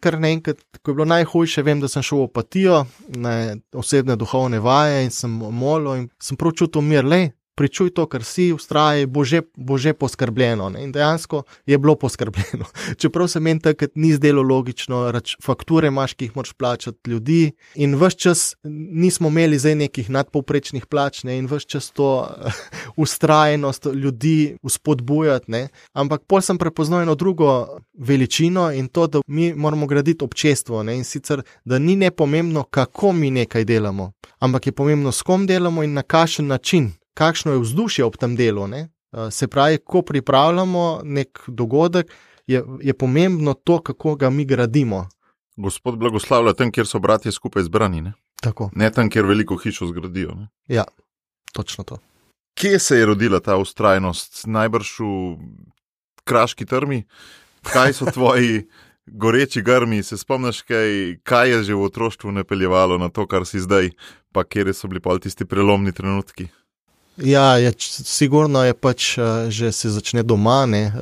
kar naenkrat, ko je bilo najhujše, vem, da sem šel v apatijo, na osebne duhovne vaje in sem molil in sem prav čutil mir, lej, pričuj to, kar si, vztraji, bo že, bo že poskrbljeno. Ne? In dejansko je bilo poskrbljeno. Čeprav se meni takrat ni zdelo logično, rač, fakture imaš, ki jih moraš plačati ljudi in ves čas nismo imeli zdaj nekih nadpovprečnih plač, ne? In ves čas to vztrajnost ljudi vzpodbujati, ne? Ampak pol sem prepoznal eno drugo veličino in to, da mi moramo graditi občestvo, ne? In sicer, da ni nepomembno, kako mi nekaj delamo, ampak je pomembno, s kom delamo in na kakšen način. Kakšno je vzdušje ob tem delu, ne? Se pravi, ko pripravljamo nek dogodek, je, je pomembno to, kako ga mi gradimo. Gospod blagoslavlja tam, kjer so bratje skupaj zbrani, ne? Tako. Ne tam, kjer veliko hišo zgradijo, ne? Ja, točno to. Kje se je rodila ta vztrajnost? Najbrž v Kraški trmi? Kaj so tvoji goreči grmi? Se spomniš, kaj, kaj je že v otroštvu napeljevalo na to, kar si zdaj, pa kjer so bili pol tisti prelomni trenutki? Ja, je, sigurno je pač, že se začne doma, ne,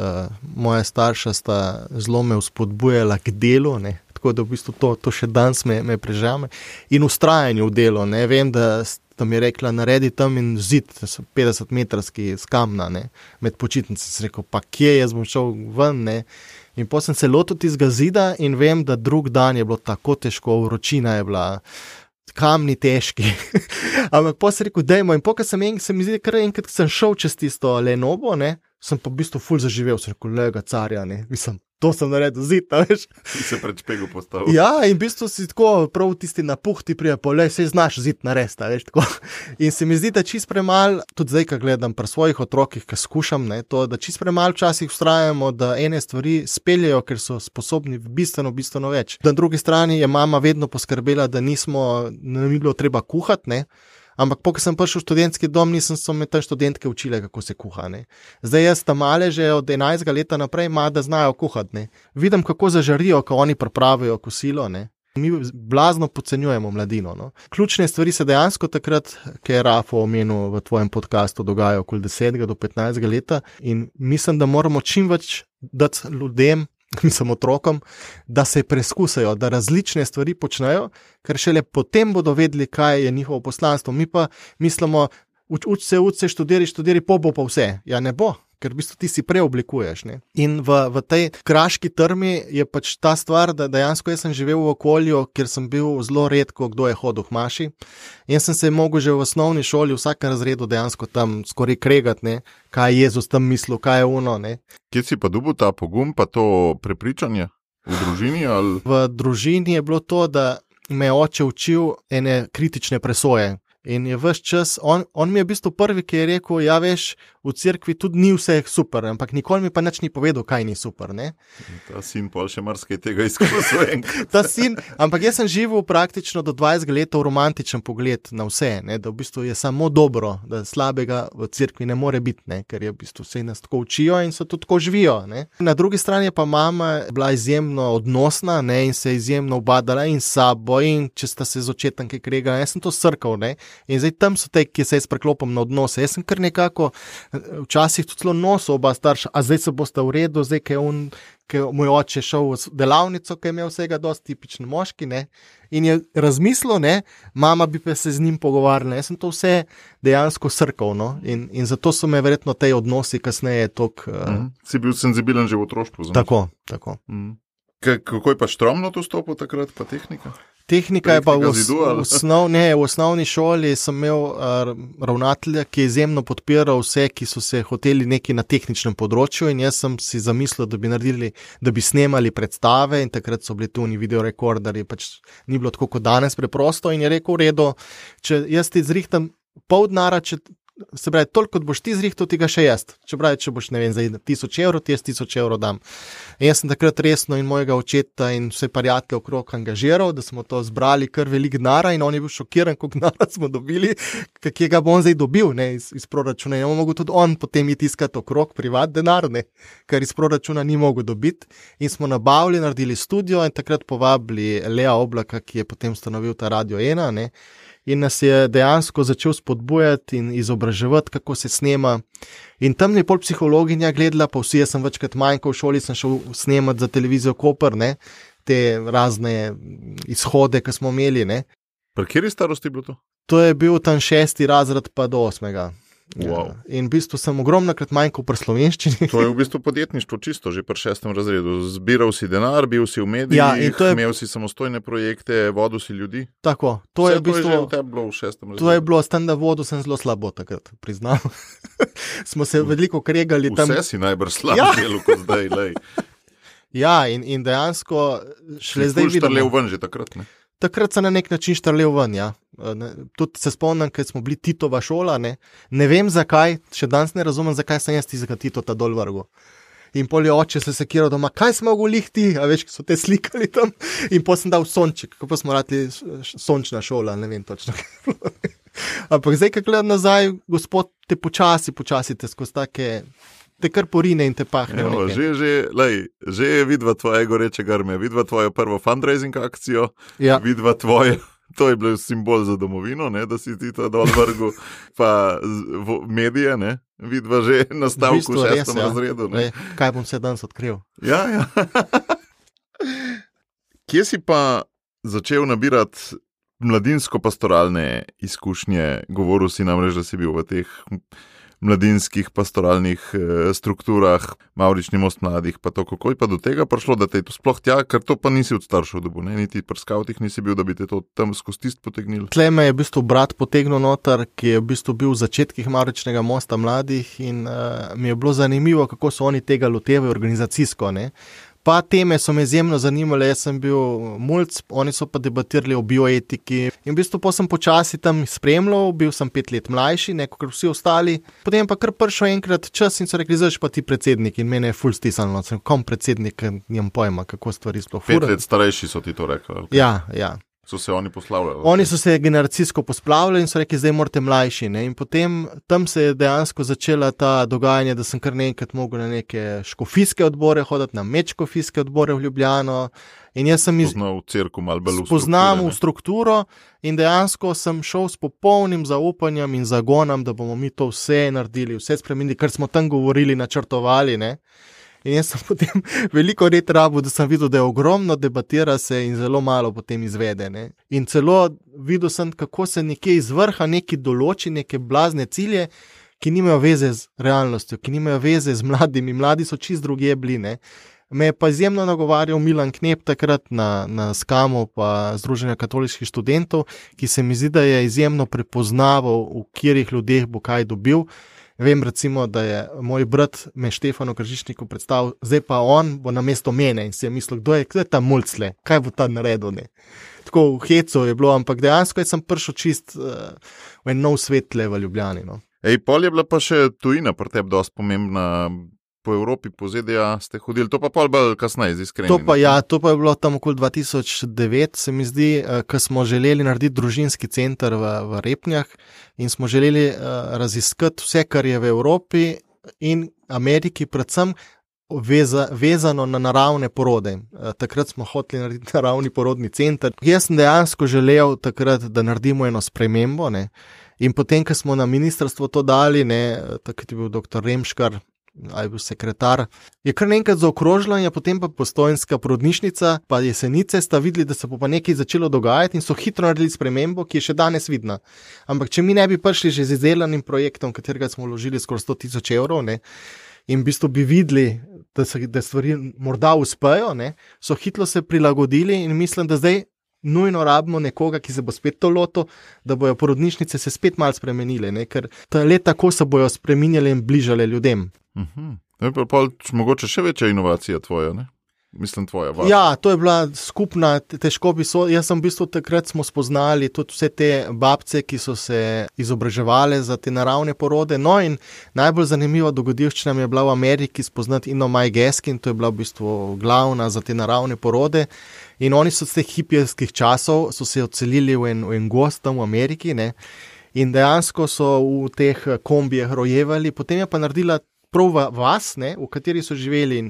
moja starša sta zelo me vzpodbujala k delu, ne, tako da v bistvu to, to še danes me, me prežame in ustrajanju v delu, ne, vem, da sta mi rekla, naredi tam in zid, petdeset metrski z kamna, ne, med počitnice, sem rekel, pa kje, jaz bom šel ven, ne, in potem sem se lotil tistega zida in vem, da drug dan je bilo tako težko, vročina je bila, kamni težki, ampak pa sem rekel, dajmo, in pokaj sem, en, se mi zdi, kar enkrat sem šel čez tisto Lenovo, ne, sem pa v bistvu ful zaživel, sem rekel, lega carja, ne, mislim, to sem naredil zid, veš. Si se pred špegu postavil. Ja, in v bistvu si tako prav tisti napuh ti prije, pa le, sej znaš zid narediti, veš, tako. In se mi zdi, da čist premal, tudi zdaj, ko gledam pri svojih otrokih, ko skušam, ne, to, da čist premal včasih vztrajamo, da ene stvari speljejo, ker so sposobni bistveno, bistveno več. Na drugi strani je mama vedno poskrbela, da nismo, ne bi bilo treba kuhati, ne. Ampak po, ko sem prišel v študentski dom, nisem so me tam študentke učile, kako se kuha, ne. Zdaj jaz tam male že od enajstega leta naprej ima, da znajo kuhati, ne. Vidim, kako zažarijo, ko oni pripravijo kosilo, ne. Mi blazno podcenjujemo mladino, no. Ključne stvari se dejansko takrat, ki je Rafo omenil v tvojem podcastu, dogajajo okoli desetega do petnajstega leta in mislim, da moramo čim več dati ljudem, mislim otrokom, da se preskusajo, da različne stvari počnejo, ker šele potem bodo vedeli, kaj je njihovo poslanstvo. Mi pa mislimo, uč, uč se, uč se, študiri, študiri, po bo pa vse. Ja, ne bo, ker v bistvu ti si preoblikuješ, ne. In v, v tej Kraški trmi je pač ta stvar, da dejansko jaz sem živel v okolju, kjer sem bil zelo redko, kdo je hodil k maši. In sem se mogel že v osnovni šoli v vsakem razredu dejansko tam skoraj kregati, ne, kaj je Jezus tam mislil, kaj je ono, ne. Kje si pa dobil ta pogum, pa to prepričanje? V družini ali? V družini je bilo to, da me je oče učil ene kritične presoje. In je ves čas, on, on mi je v bistvu prvi, ki je rekel, ja veš, v cerkvi tudi ni vse super, ampak nikoli mi pa nič ni povedal, kaj ni super, ne. Ta sin pol še marsikaj tega izkusil. Ta sin, ampak jaz sem živel praktično do dvajset let v romantičen pogled na vse, ne, da v bistvu je samo dobro, da slabega v cerkvi ne more biti, ne, ker je v bistvu vse nas tako učijo in so tudi tako živijo, ne. Na drugi strani je pa mama bila izjemno odnosna, ne, in se izjemno ubadala in s sabo in če sta se z očetom kaj kregala, jaz sem to srkal, ne. In zdaj tam so te, ki se jaz preklopim na odnose. Jaz sem kar nekako včasih tudi celo nosil oba starša, a zdaj se boste v redu, zdaj, ki je on, ki je moj oče šel v delavnico, ki je imel vsega dosti tipičen moški, ne. In je razmislil, ne, mama bi pa se z njim pogovarjala. Jaz sem to vse dejansko srkal, no. In, in zato so me verjetno te odnosi kasneje tok... Mm. Uh... Si bil senzibilen že v otroštvu. Tako, tako. Mm. K- kako je pa štromno to stopil takrat, pa tehnika? Tehnika je pa v, v, osnov, ne, v osnovni šoli sem imel uh, ravnatelja, ki je izjemno podpiral vse, ki so se hoteli nekaj na tehničnem področju in jaz sem si zamislil, da bi naredili, da bi snemali predstave in takrat so bili tuni videorekorderji, pač ni bilo tako kot danes preprosto in je rekel, v redu, če jaz ti zrihtam pol denara, če se pravi, toliko kot boš ti zrihtal, ti ga še jaz. Če pravi, če boš, ne vem, za tisoč evrov, ti jaz tisoč evrov dam. In jaz sem takrat resno in mojega očeta in vse prijatelje okrog angažiral, da smo to zbrali kar velik denara in on je bil šokiran, koliko denara smo dobili, kak ga bo on zdaj dobil, ne, iz, iz proračuna. In on mogel tudi on potem iti iskati okrog privat denar, ne, ker iz proračuna ni mogel dobiti. In smo nabavili, naredili studio in takrat povabili Lea Oblaka, ki je potem ustanovil ta Radio ena, ne. In nas je dejansko začel spodbujati in izobraževati, kako se snema. In tam je pol psihologinja gledala, pa vsi, jaz sem večkrat manjkal v šoli, sem šel snemati za televizijo Koper, ne, te razne izhode, ki smo imeli, ne. Pri kateri starosti je bilo to? To je bil tam šesti razred pa do osmega. Wow. Ja. In v bistvu sem ogromnokrat manjkal pri slovenščini. To je v bistvu podjetništvo čisto, že pri šestem razredu. Zbiral si denar, bil si v medijih, ja, je... imel si samostojne projekte, vodil si ljudi. Tako, to Vse je v bistvu... To je že v tebi bilo v šestem razredu. To je bilo, s tem, da vodil sem zelo slabo takrat, priznam. Smo se veliko kregali tam. Vse si najbrž slabo ja. Delo kot zdaj, lej. Ja, in, in dejansko šele zdaj vidimo. Štarlel ven že takrat, ne? Takrat sem na nek način štarlel ven, ja. Tudi se spomnim, ker smo bili Titova šola, ne. Ne vem zakaj, še danes ne razumem, zakaj sem jaz tistega Titota dol vrgel. In pol je oče se sekiral doma, kaj smo mogli ti, a veš, ki so te slikali tam. In pol sem dal sonček, kako smo radili sončna šola, ne vem točno. Ampak zdaj, kaj gledam nazaj, gospod, te počasi, počasi te skozi take... te kar porine in te pahne. Evo, že, že, lej, že je vidva tvoje goreče grme, vidva tvojo prvo fundraising akcijo, ja. Vidva tvoje, to je bil simbol za domovino, ne, da si ti to dol vrgu, pa v, medije, ne, vidva že na stavku v šestem ja. Razredu. Ne. Lej, kaj bom se danes odkril? Ja, ja. Kje si pa začel nabirati mladinsko-pastoralne izkušnje? Govoril si namreč, da si bil v teh mladinskih pastoralnih e, strukturah, Mavrični most mladih, pa to, kako je pa do tega prišlo, da te je to sploh tja, ker to pa nisi od staršev dobil, ne, niti pri skavtih nisi bil, da bi te to tam skozi tist potegnil. Tle me je v bistvu brat potegnil noter, ki je v bistvu bil v začetkih Mavričnega mosta mladih in uh, mi je bilo zanimivo, kako so oni tega lotevajo organizacijsko, ne. Pa teme so me izjemno zanimale, jaz sem bil mulc, oni so pa debatirali o bioetiki in v bistvu pa sem počasi tam spremljal, bil sem pet let mlajši, neko kar vsi ostali, potem pa kar prišel enkrat čas in so rekli, zdaj pa ti predsednik in mene je ful stisnilo, sem kom predsednik, nimam pojma, kako stvari sploh fura. Pet let starejši so ti to rekli. Okay. Ja, ja. So se oni poslavljali? Oni so se generacijsko posplavljali in so rekli, zdaj morate mlajši. Ne? In potem tam se je dejansko začela ta dogajanje, da sem kar nekaj mogel na neke škofijske odbore hoditi, na medškofijske odbore v Ljubljano. In jaz sem iz... Spoznal v cerku malo bolj v Spoznam v strukturo in dejansko sem šel s popolnim zaupanjem in zagonom, da bomo mi to vse naredili, vse spremenili, kar smo tam govorili, načrtovali, ne. In jaz sem potem veliko let rabil, da sem videl, da je ogromno debatira se in zelo malo potem izvede. Ne? In celo videl sem, kako se nekje iz vrha neki določi, neke blazne cilje, ki nimajo veze z realnostjo, ki nimajo veze z mladimi. Mladi so čist drugje bili. Ne? Me je pa izjemno nagovarjal Milan Knep takrat na, na Skamu pa Združenja katoliških študentov, ki se mi zdi, da je izjemno prepoznaval, v katerih ljudeh bo kaj dobil. Vem recimo, da je moj brat me Štefanu Kržišniku predstavil, zdaj pa on bo na mesto mene in si je mislil, kdo je, kdo je ta mulcle, kaj bo ta naredil, ne. Tako v hecu je bilo, ampak dejansko sem prišel čist uh, v en nov svet tle v Ljubljani, no. Ej, pol je bila pa še tujina pri tebi dosti pomembna, po Evropi, po Z D A ste hodili, to pa pol bolj kasneje, z iskreni. To pa ja, to pa je bilo tam okoli dva tisoč devet, se mi zdi, ko smo želeli narediti družinski center v, v Repnjah in smo želeli uh, raziskati vse, kar je v Evropi in Ameriki, predvsem veza, vezano na naravne porode. Uh, takrat smo hoteli narediti naravni porodni center. Jaz sem dejansko želel takrat, da naredimo eno spremembo, ne. In potem, ko smo na ministrstvo to dali, ne, takrat je bil doktor Remškar, ali bil sekretar, je kar nekaj zaokrožila in je potem pa Postojnska porodnišnica, pa Jesenice sta videli, da se bo pa nekaj začelo dogajati in so hitro naredili spremembo, ki je še danes vidna. Ampak če mi ne bi prišli že z izdelanim projektom, katerega smo vložili skoraj sto tisoč evrov, ne, in v bistvu bi videli, da, se, da stvari morda uspejo, ne, so hitro se prilagodili in mislim, da zdaj nujno rabimo nekoga, ki se bo spet to lotil, da bojo porodnišnice se spet malo spremenile, ne, ker le tako se bojo spreminjale in bližale ljudem. Uh-huh. Je pa pol mogoče še večja inovacija tvoja, ne? Mislim tvoja. Vaša. Ja, to je bila skupna, težko bi so, jaz sem v bistvu takrat smo spoznali tudi vse te babce, ki so se izobraževale za te naravne porode, no in najbolj zanimiva dogodivščina mi je bila v Ameriki spoznati Ino Maj Geskin, to je bila v bistvu glavna za te naravne porode in oni so z teh hipijskih časov so se odselili v en, v en gost tam v Ameriki, ne, in dejansko so v teh kombijah rojevali, potem je pa naredila prav vas, ne, v kateri so živeli in,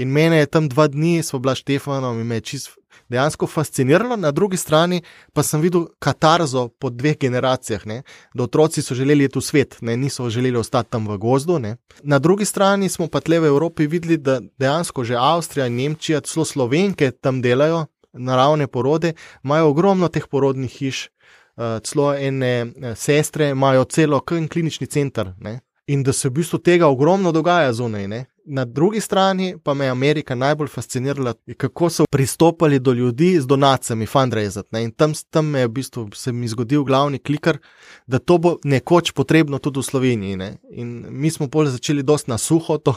in mene je tam dva dni, smo bila Štefanom in me je čist dejansko fasciniralo, na drugi strani pa sem videl katarzo po dveh generacijah, ne, da otroci so želeli iti v svet, ne, niso želeli ostati tam v gozdu, ne. Na drugi strani smo pa tle v Evropi videli, da dejansko že Avstrija in Nemčija, celo Slovenke tam delajo naravne porode, imajo ogromno teh porodnih hiš, uh, celo ene sestre imajo celo klinični center, ne. In da se v bistvu tega ogromno dogaja zunaj, ne. Na drugi strani pa me je Amerika najbolj fascinirala, kako so pristopali do ljudi z donacijami, fundraisati, ne. In tam, tam me je v bistvu se mi zgodil glavni kliker, da to bo nekoč potrebno tudi v Sloveniji, ne. In mi smo pol začeli dosti na suho to.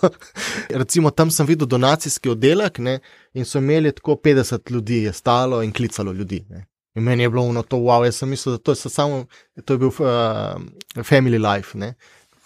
Recimo tam sem videl donacijski oddelek, ne, in so imeli tako petdeset ljudi je stalo in klicalo ljudi, ne. In meni je bilo ono to, wow, jaz sem mislil, da to je samo, to je bil uh, family life, ne.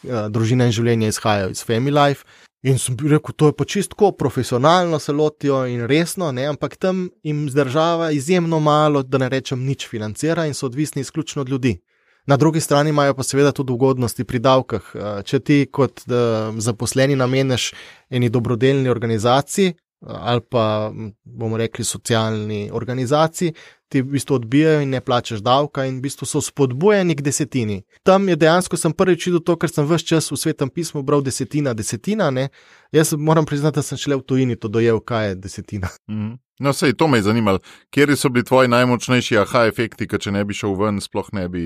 Družina in življenje izhajajo iz Family Life in sem rekel, to je pa čistko profesionalno se lotijo in resno, ne, ampak tam jim zdržava izjemno malo, da ne rečem nič financira in so odvisni izključno od ljudi. Na drugi strani imajo pa seveda tudi ugodnosti pri davkah. Če ti kot da, zaposleni nameneš eni dobrodelni organizaciji ali pa bomo rekli socialni organizaciji, ti v bistvu odbijajo in ne plačaš davka in v bistvu so spodbujeni k desetini. Tam je dejansko sem prvič videl to, ker sem ves čas v Svetem pismu bral desetina, desetina, ne. Jaz moram priznati, da sem šele v tujini to dojel, kaj je desetina. Mm. No, sej, to me je zanimalo. Kjeri so bili tvoji najmočnejši aha efekti, ker če ne bi šel ven, sploh ne bi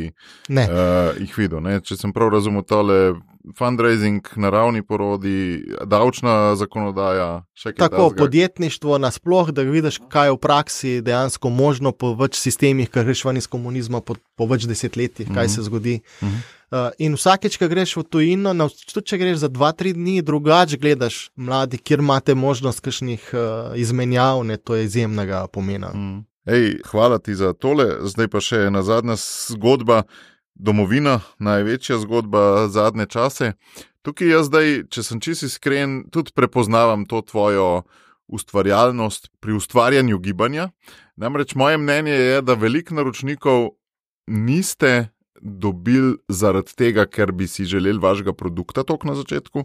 ne. Uh, jih videl, ne. Če sem prav razumel tole fundraising, naravni porodi, davčna zakonodaja, še kaj tako, tazga. Podjetništvo nasploh, da vidiš, kaj je v praksi dejansko možno po več sistemih, ker greš ven iz komunizma po, po več desetletjih, kaj mm-hmm. se zgodi. Mm-hmm. Uh, in vsakeč, ko greš v tujino, tudi če greš za dva, tri dni, drugače gledaš mladi, kjer imate možnost kakšnih uh, izmenjav, ne, to je izjemnega pomena. Mm. Ej, hvala ti za tole, zdaj pa še ena zadnja zgodba, domovina, največja zgodba zadnje čase. Tukaj jaz zdaj, če sem čisto iskren, tudi prepoznavam to tvojo ustvarjalnost pri ustvarjanju gibanja. Namreč moje mnenje je, da veliko naročnikov niste dobili zaradi tega, ker bi si želeli vašega produkta tok na začetku,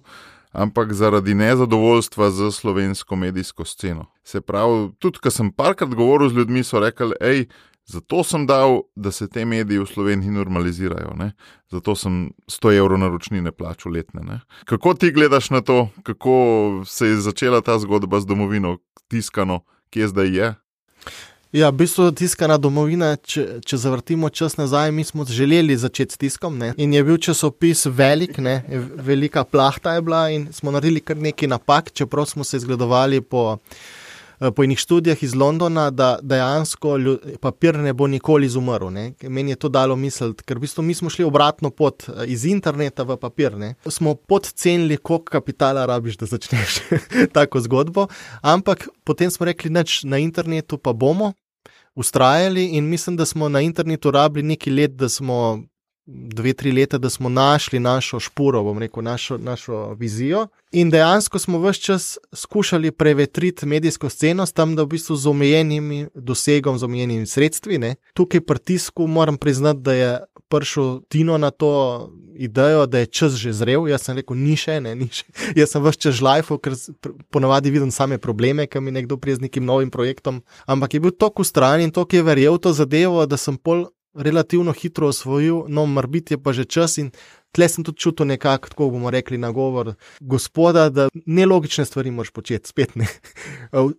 ampak zaradi nezadovoljstva z slovensko medijsko sceno. Se pravi, tudi ko sem parkrat govoril z ljudmi, so rekli, ej, zato sem dal, da se te mediji v Sloveniji normalizirajo, ne? Zato sem sto evrov naročnine plačal letne, ne? Kako ti gledaš na to, kako se je začela ta zgodba z domovino tiskano, kje zdaj je? Ja, v bistvu tiskana domovina, če, če zavrtimo čas nazaj, mi smo želeli začeti s tiskom, ne? In je bil časopis velik, ne? Velika plahta je bila in smo naredili kar nekaj napak, čeprav smo se zgledovali po po enih študijah iz Londona, da dejansko papir ne bo nikoli izumrl. Ne. Meni je to dalo misliti, ker v bistvu mi smo šli obratno pot iz interneta v papir. Ne. Smo podcenili, koliko kapitala rabiš, da začneš tako zgodbo, ampak potem smo rekli, nič na internetu pa bomo ustrajali in mislim, da smo na internetu rabili nekaj let, da smo dve, tri leta, da smo našli našo špuro, bom rekel, našo, našo vizijo in dejansko smo ves čas skušali prevetriti medijsko sceno s tam, da v bistvu z omejenimi dosegom, z omejenimi sredstvi. Ne. Tukaj pri tisku moram priznati, da je prišel Tino na to idejo, da je čas že zrel. Jaz sem rekel, ni še, ne, ni še. Jaz sem ves čas žlajfal, ker ponavadi vidim same probleme, ki mi nekdo prije z nekim novim projektom, ampak je bil toliko ustran in toliko je verjel to zadevo, da sem pol relativno hitro osvojil, no, morbiti je pa že čas in tle sem tudi čutil nekako, tako bomo rekli, nagovor gospoda, da nelogične stvari moraš početi, spet ne.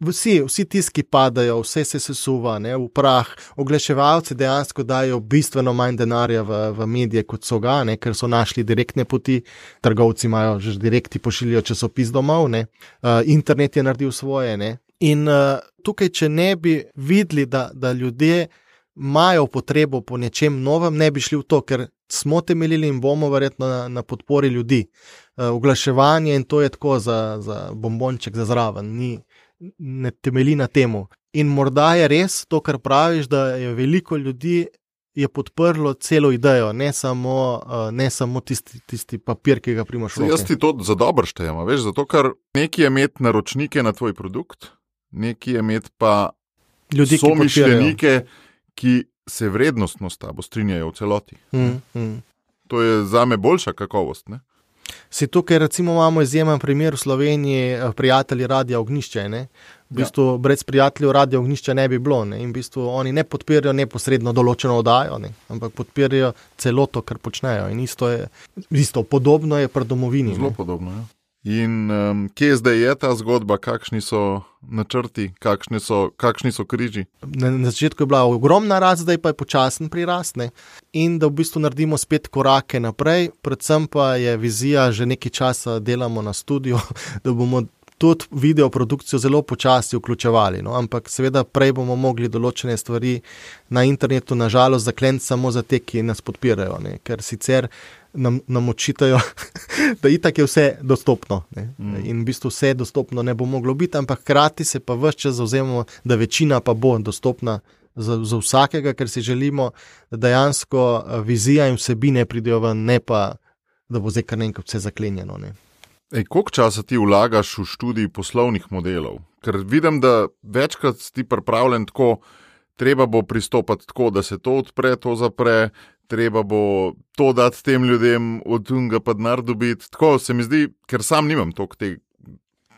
Vsi, vsi tiski padajo, vse se sesuva, ne, v prah, oglaševalci dejansko dajo bistveno manj denarja v, v medije, kot so ga, ne, ker so našli direktne poti, trgovci imajo že direkti pošiljajo časopis domov, ne, uh, internet je naredil svoje, ne, in uh, tukaj, če ne bi videli, da, da ljudje imajo potrebo po nečem novem, ne bi šli v to, ker smo temeljili in bomo verjetno na, na podpori ljudi. Uh, oglaševanje in to je tako za, za bombonček za zraven, ni, ne temelji na temu. In morda je res to, kar praviš, da je veliko ljudi je podprlo celo idejo, ne samo, uh, ne samo tisti, tisti papir, ki ga primaš v roke. Jaz ti to za dobro štejem, veš, zato ker neki je imeti naročnike na tvoj produkt, neki je imeti pa ljudi, somišljenike, ki se vrednostno s tabo strinjajo v celoti. Mm, mm. To je zame boljša kakovost, ne? Si tukaj, recimo, imamo izjemen primer v Sloveniji, prijatelji Radia Ognjišče, ne? V bistvu, ja. Brez prijateljev Radia Ognjišče ne bi bilo, ne? In v bistvu oni ne podpirajo neposredno določeno oddajo, ne? Ampak podpirajo celoto, kar počnejo. In isto je, isto podobno je pri domovini. Zelo ne? podobno, ja. In um, kje zdaj je ta zgodba, kakšni so načrti, kakšni so, kakšni so križi? Na, na začetku je bila ogromna rast, zdaj pa je počasen prirast, ne? In da v bistvu naredimo spet korake naprej, predvsem pa je vizija, že nekaj časa delamo na studiu, da bomo tudi videoprodukcijo zelo počasi vključevali, no? Ampak seveda prej bomo mogli določene stvari na internetu nažalost zakleniti samo za te, ki nas podpirajo, ne? Ker sicer nam, nam očitajo, da itak je vse dostopno, ne? Mm. In v bistvu vse dostopno ne bo moglo biti, ampak hkrati se pa ves čas zavzemamo, da večina pa bo dostopna za, za vsakega, ker si želimo, da dejansko vizija in vsebine pridejo ven, ne pa, da bo zdaj kar nekaj vse zaklenjeno, ne? Ej, koliko časa ti vlagaš v študij poslovnih modelov? Ker vidim, da večkrat si pripravljen tako, treba bo pristopati tako, da se to odpre, to zapre, treba bo to dati tem ljudem, od unga pa denar dobiti. Tako se mi zdi, ker sam nimam toliko tega.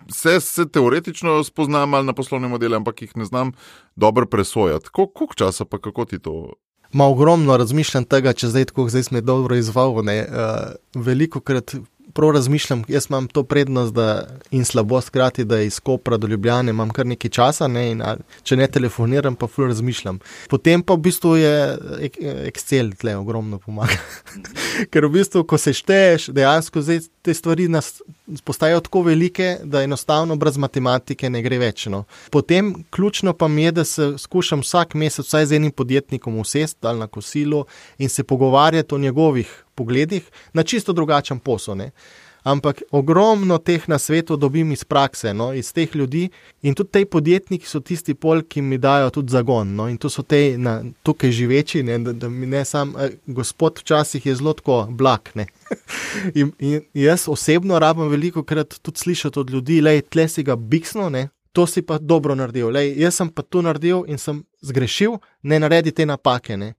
Vse se teoretično spoznam ali na poslovne modele, ampak jih ne znam dobro presojati. Koliko časa pa kako ti to? Ma ogromno razmišljam tega, če zdaj tako, zdaj smo dobro izval, ne, uh, veliko krat prav razmišljam, jaz imam to prednost da, in slabost krati, da iz Kopra do Ljubljane imam kar nekaj časa, ne, in a, če ne telefoniram, pa ful razmišljam. Potem pa v bistvu je Excel tle ogromno pomaga. Ker v bistvu, ko se šteješ, dejansko zdaj te stvari nas postajajo tako velike, da enostavno brez matematike ne gre več. No. Potem ključno pa mi je, da se skušam vsak mesec vsaj z enim podjetnikom usesti ali na kosilu in se pogovarjati o njegovih pogledih na čisto drugačen posel. Ne. Ampak ogromno teh na svetu dobim iz prakse, no, iz teh ljudi in tudi te podjetniki so tisti pol, ki mi dajo tudi zagon. No, in to so te na, tukaj živeči, ne, da, da mi ne sam, eh, gospod včasih je zelo tako blag. Ne. in, in jaz osebno rabim veliko krat tudi slišati od ljudi, lej, tle si ga biksno, ne, to si pa dobro naredil. Lej, jaz sem pa to naredil in sem zgrešil, ne naredi te napake. Ne.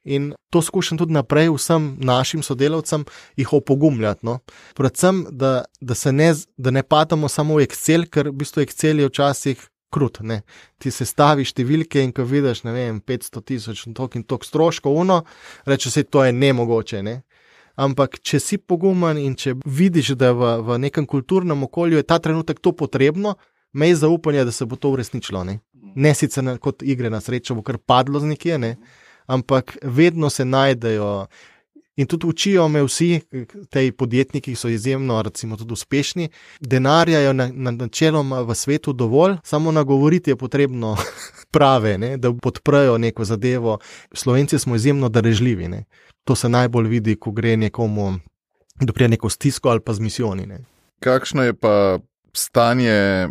In to skušam tudi naprej vsem našim sodelavcem jih opogumljati. No. Predvsem, da, da, se ne, da ne padamo samo v Excel, ker v bistvu Excel je včasih krut. Ne. Ti se staviš številke in ko vidiš, ne vem, petsto tisoč in tok in tok stroškov, uno, reče se, to je nemogoče. Ne. Ampak, če si pogumen in če vidiš, da v, v nekem kulturnem okolju je ta trenutek to potrebno, imej zaupanje, da se bo to uresničilo. Ne, ne sicer na, kot igre na srečo bo kar padlo z nekje, ne. Ampak vedno se najdejo In tudi učijo me vsi, tej podjetniki, ki so izjemno, recimo, tudi uspešni, denarja je na, na, načeloma v svetu dovolj, samo nagovoriti je potrebno prave, ne, da podprejo neko zadevo. Slovenci smo izjemno darežljivi, ne. To se najbolj vidi, ko gre nekomu, da prije neko stisko ali pa z misijoni, ne. Kakšno je pa stanje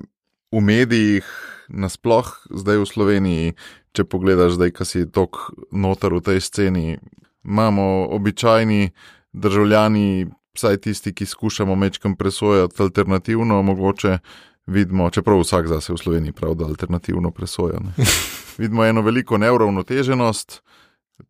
v medijih nasploh zdaj v Sloveniji, če pogledaš zdaj, ko si tok noter v tej sceni? Imamo običajni državljani, vsaj tisti, ki skušamo mečkam presojati alternativno, mogoče vidimo, čeprav vsak zase v Sloveniji prav, da alternativno presoja. Ne? Vidimo eno veliko neuravnoteženost,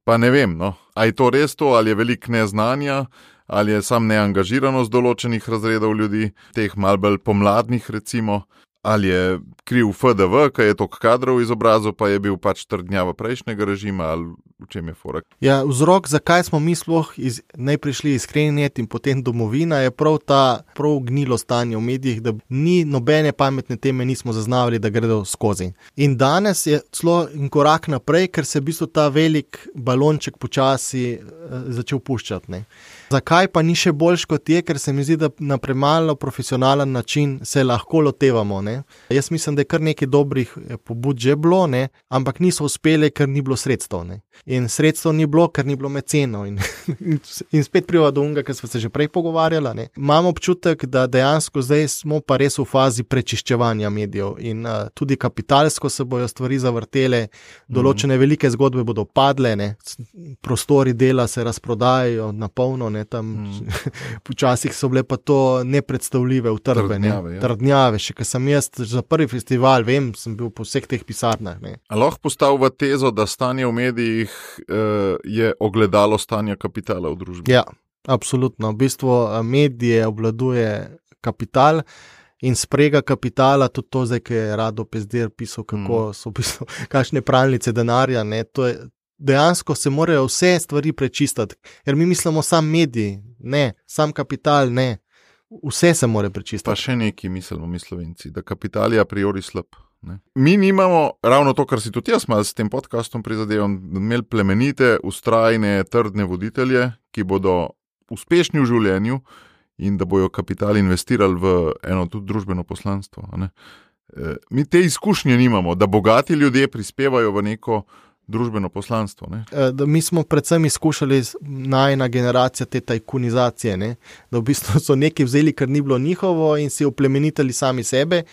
pa ne vem, no, a je to res to, ali je veliko neznanja, ali je sam neangažiranost določenih razredov ljudi, teh malo bolj pomladnih recimo, ali je kriv F D V, ki je toliko kadrov izobrazil, pa je bil pač trdnjava prejšnjega režima, ali v čem je fora? Ja, vzrok, zakaj smo mi sploh iz, ne prišli iskrenjet in potem domovina, je prav ta prav gnilo stanje v medijih, da ni nobene pametne teme nismo zaznavali, da gredo skozi. In danes je celo en korak naprej, ker se v bistvu ta velik balonček počasi uh, začel puščati, ne. Zakaj pa ni še boljš kot je, ker se mi zdi, da na premalo profesionalen način se lahko lotevamo, ne. Jaz mislim, da je kar nekaj dobrih pobud že bilo, ne, ampak niso uspeli, ker ni bilo sredstev, ne. In sredstev ni bilo, ker ni bilo mecenov. In, in spet priva do unga, ker smo se že prej pogovarjali, ne. Imam občutek, da dejansko zdaj smo pa res v fazi prečiščevanja medijev in uh, tudi kapitalsko se bojo stvari zavrtele, določene velike zgodbe bodo padle, ne. Prostori dela se razprodajajo na polno, ne, tam mm. počasih so bile pa to nepredstavljive utrdbe, Trdnjave, ne, ja. trdnjave, še ko sem jaz za prvi festival, vem, sem bil po vseh teh pisarnah, ne. A lahko postavlja tezo, da stanje v medijih uh, je ogledalo stanja kapitala v družbi? Ja, absolutno. V bistvu medije obvladuje kapital in sprega kapitala, tudi to zdaj, ki je Rado Pezdir pisal, kako mm. so v bistvu kakšne pralnice denarja, ne, to je dejansko se morajo vse stvari prečistiti, ker mi mislimo sam mediji, ne, sam kapital, ne, vse se mora prečistiti. Pa še neki mislimo mi Slovenci, da kapital je a priori slab. Ne? Mi nimamo ravno to, kar si tudi jaz malo s tem podcastom prizadevam, da imeli plemenite, ustrajne, trdne voditelje, ki bodo uspešni v življenju in da bojo kapital investirali v eno tudi družbeno poslanstvo. Ne? E, mi te izkušnje nimamo, da bogati ljudje prispevajo v neko družbeno poslanstvo. Ne? Da mi smo predvsem izkušali najna generacija te tajkunizacije, ne? Da v bistvu so neki vzeli, kar ni bilo njihovo in si oplemenitali sami sebe,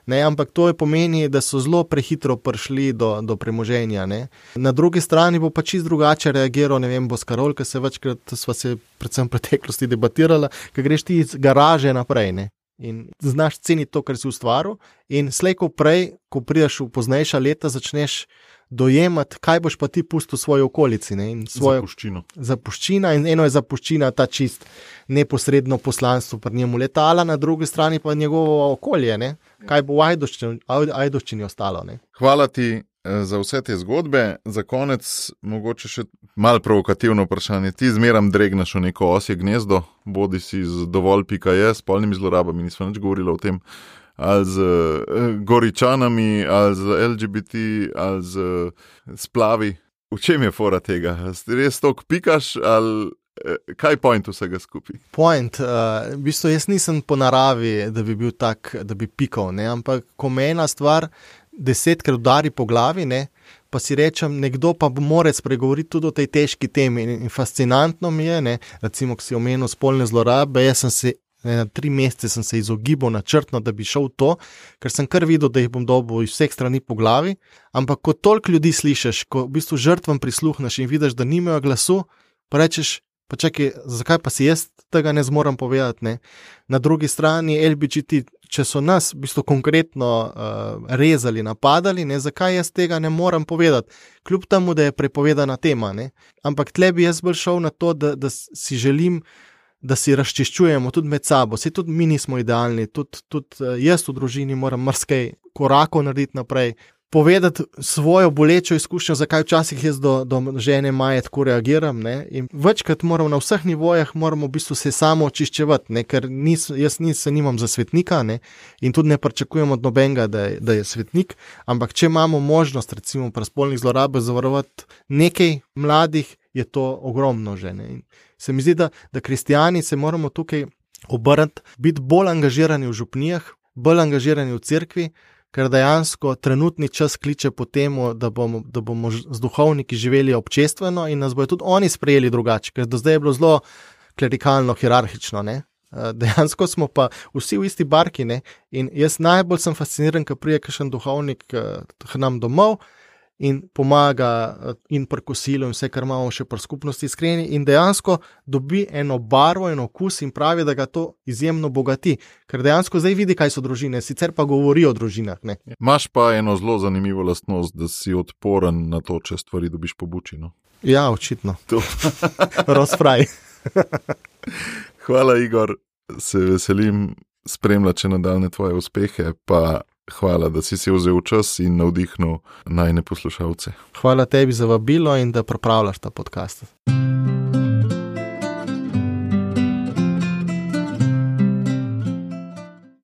ne? Ampak to je pomeni, da so zelo prehitro prišli do, do premoženja. Ne? Na drugi strani bo pa čist drugače reagiral, ne vem, Boskarol, ki se večkrat sva se predvsem v preteklosti debatirala, ker greš ti iz garaže naprej, ne? In znaš ceniti to, kar si ustvaril in slej ko prej, ko prideš v poznejša leta, začneš dojemati, kaj boš pa ti pustil v svoji okolici. Ne? In svojo zapuščino. Zapuščina in eno je zapuščina, ta čist neposredno poslanstvo pri njemu letala, na drugi strani pa njegovo okolje, ne? Kaj bo v Ajdovščini, Ajdovščini ostalo. Ne? Hvala ti za vse te zgodbe. Za konec mogoče še malo provokativno vprašanje. Ti zmeram dregneš v neko osje gnezdo, bodi si z dovolj pika je, s polnimi zlorabami, nismo nič govorili o tem, ali z uh, goričanami, ali z L G B T, ali z uh, splavi. V čem je fora tega? Res toliko pikaš, ali uh, kaj je point vsega skupaj? Point, uh, v bistvu jaz nisem po naravi, da bi bil tak, da bi pikal, ne? Ampak ko me ena stvar desetkrat udari po glavi, ne? Pa si rečem, nekdo pa mora spregovoriti tudi o tej težki temi in, in fascinantno mi je, ne? Recimo, ko si omenil spolne zlorabe, jaz sem se na tri mesece sem se izogibal načrtno, da bi šel to, ker sem kar videl, da jih bom dobil iz vseh strani po glavi, ampak ko toliko ljudi slišiš, ko v bistvu žrtvam prisluhneš in vidiš, da nimajo glasu, pa rečeš, pa čakaj, zakaj pa si jaz tega ne zmorem povedati, ne? Na drugi strani L G B T, če so nas v bistvu konkretno uh, rezali, napadali, ne? Zakaj jaz tega ne morem povedati, kljub temu, da je prepovedana tema, ne? Ampak tle bi jaz bolj šel na to, da, da si želim, da si razčiščujemo tudi med sabo. Saj tudi mi nismo idealni, tudi, tudi jaz v družini moram marsikaj korakov narediti naprej, povedati svojo bolečo izkušnjo, zakaj včasih jaz do, do žene Maje tako reagiram, ne? In večkrat moram na vseh nivojah moramo v bistvu se samo očiščevati, ne? Ker nis, jaz nis, se nimam za svetnika, ne? In tudi ne pričakujem od nobenega, da je, da je svetnik, ampak če imamo možnost recimo pri spolnih zlorabah zavarovati nekaj mladih, je to ogromno že. Ne? In se mi zdi, da, da kristijani se moramo tukaj obrniti, biti bolj angažirani v župnijah, bolj angažirani v cerkvi, ker dejansko trenutni čas kliče po temu, da bomo, da bomo z duhovniki živeli občestveno in nas bojo tudi oni sprejeli drugače, ker do zdaj je bilo zelo klerikalno, hierarhično, ne. Dejansko smo pa vsi v isti barki, ne, in jaz najbolj sem fasciniran, ko prije kakšen duhovnik k nam domov in pomaga in pri kosilu in vse, kar imamo še pri skupnosti iskreni in dejansko dobi eno barvo, eno okus in pravi, da ga to izjemno bogati, ker dejansko zdaj vidi, kaj so družine, sicer pa govori o družinah. Ne. Imaš pa eno zelo zanimivo lastnost, da si odporen na to, če stvari dobiš po buči, no? Ja, očitno. Rozfraj. Hvala, Igor, se veselim spremljati nadaljne tvoje uspehe, pa hvala, da si si vzel čas in navdihnil najne poslušalce. Hvala tebi za vabilo in da pripravljaš ta podcast.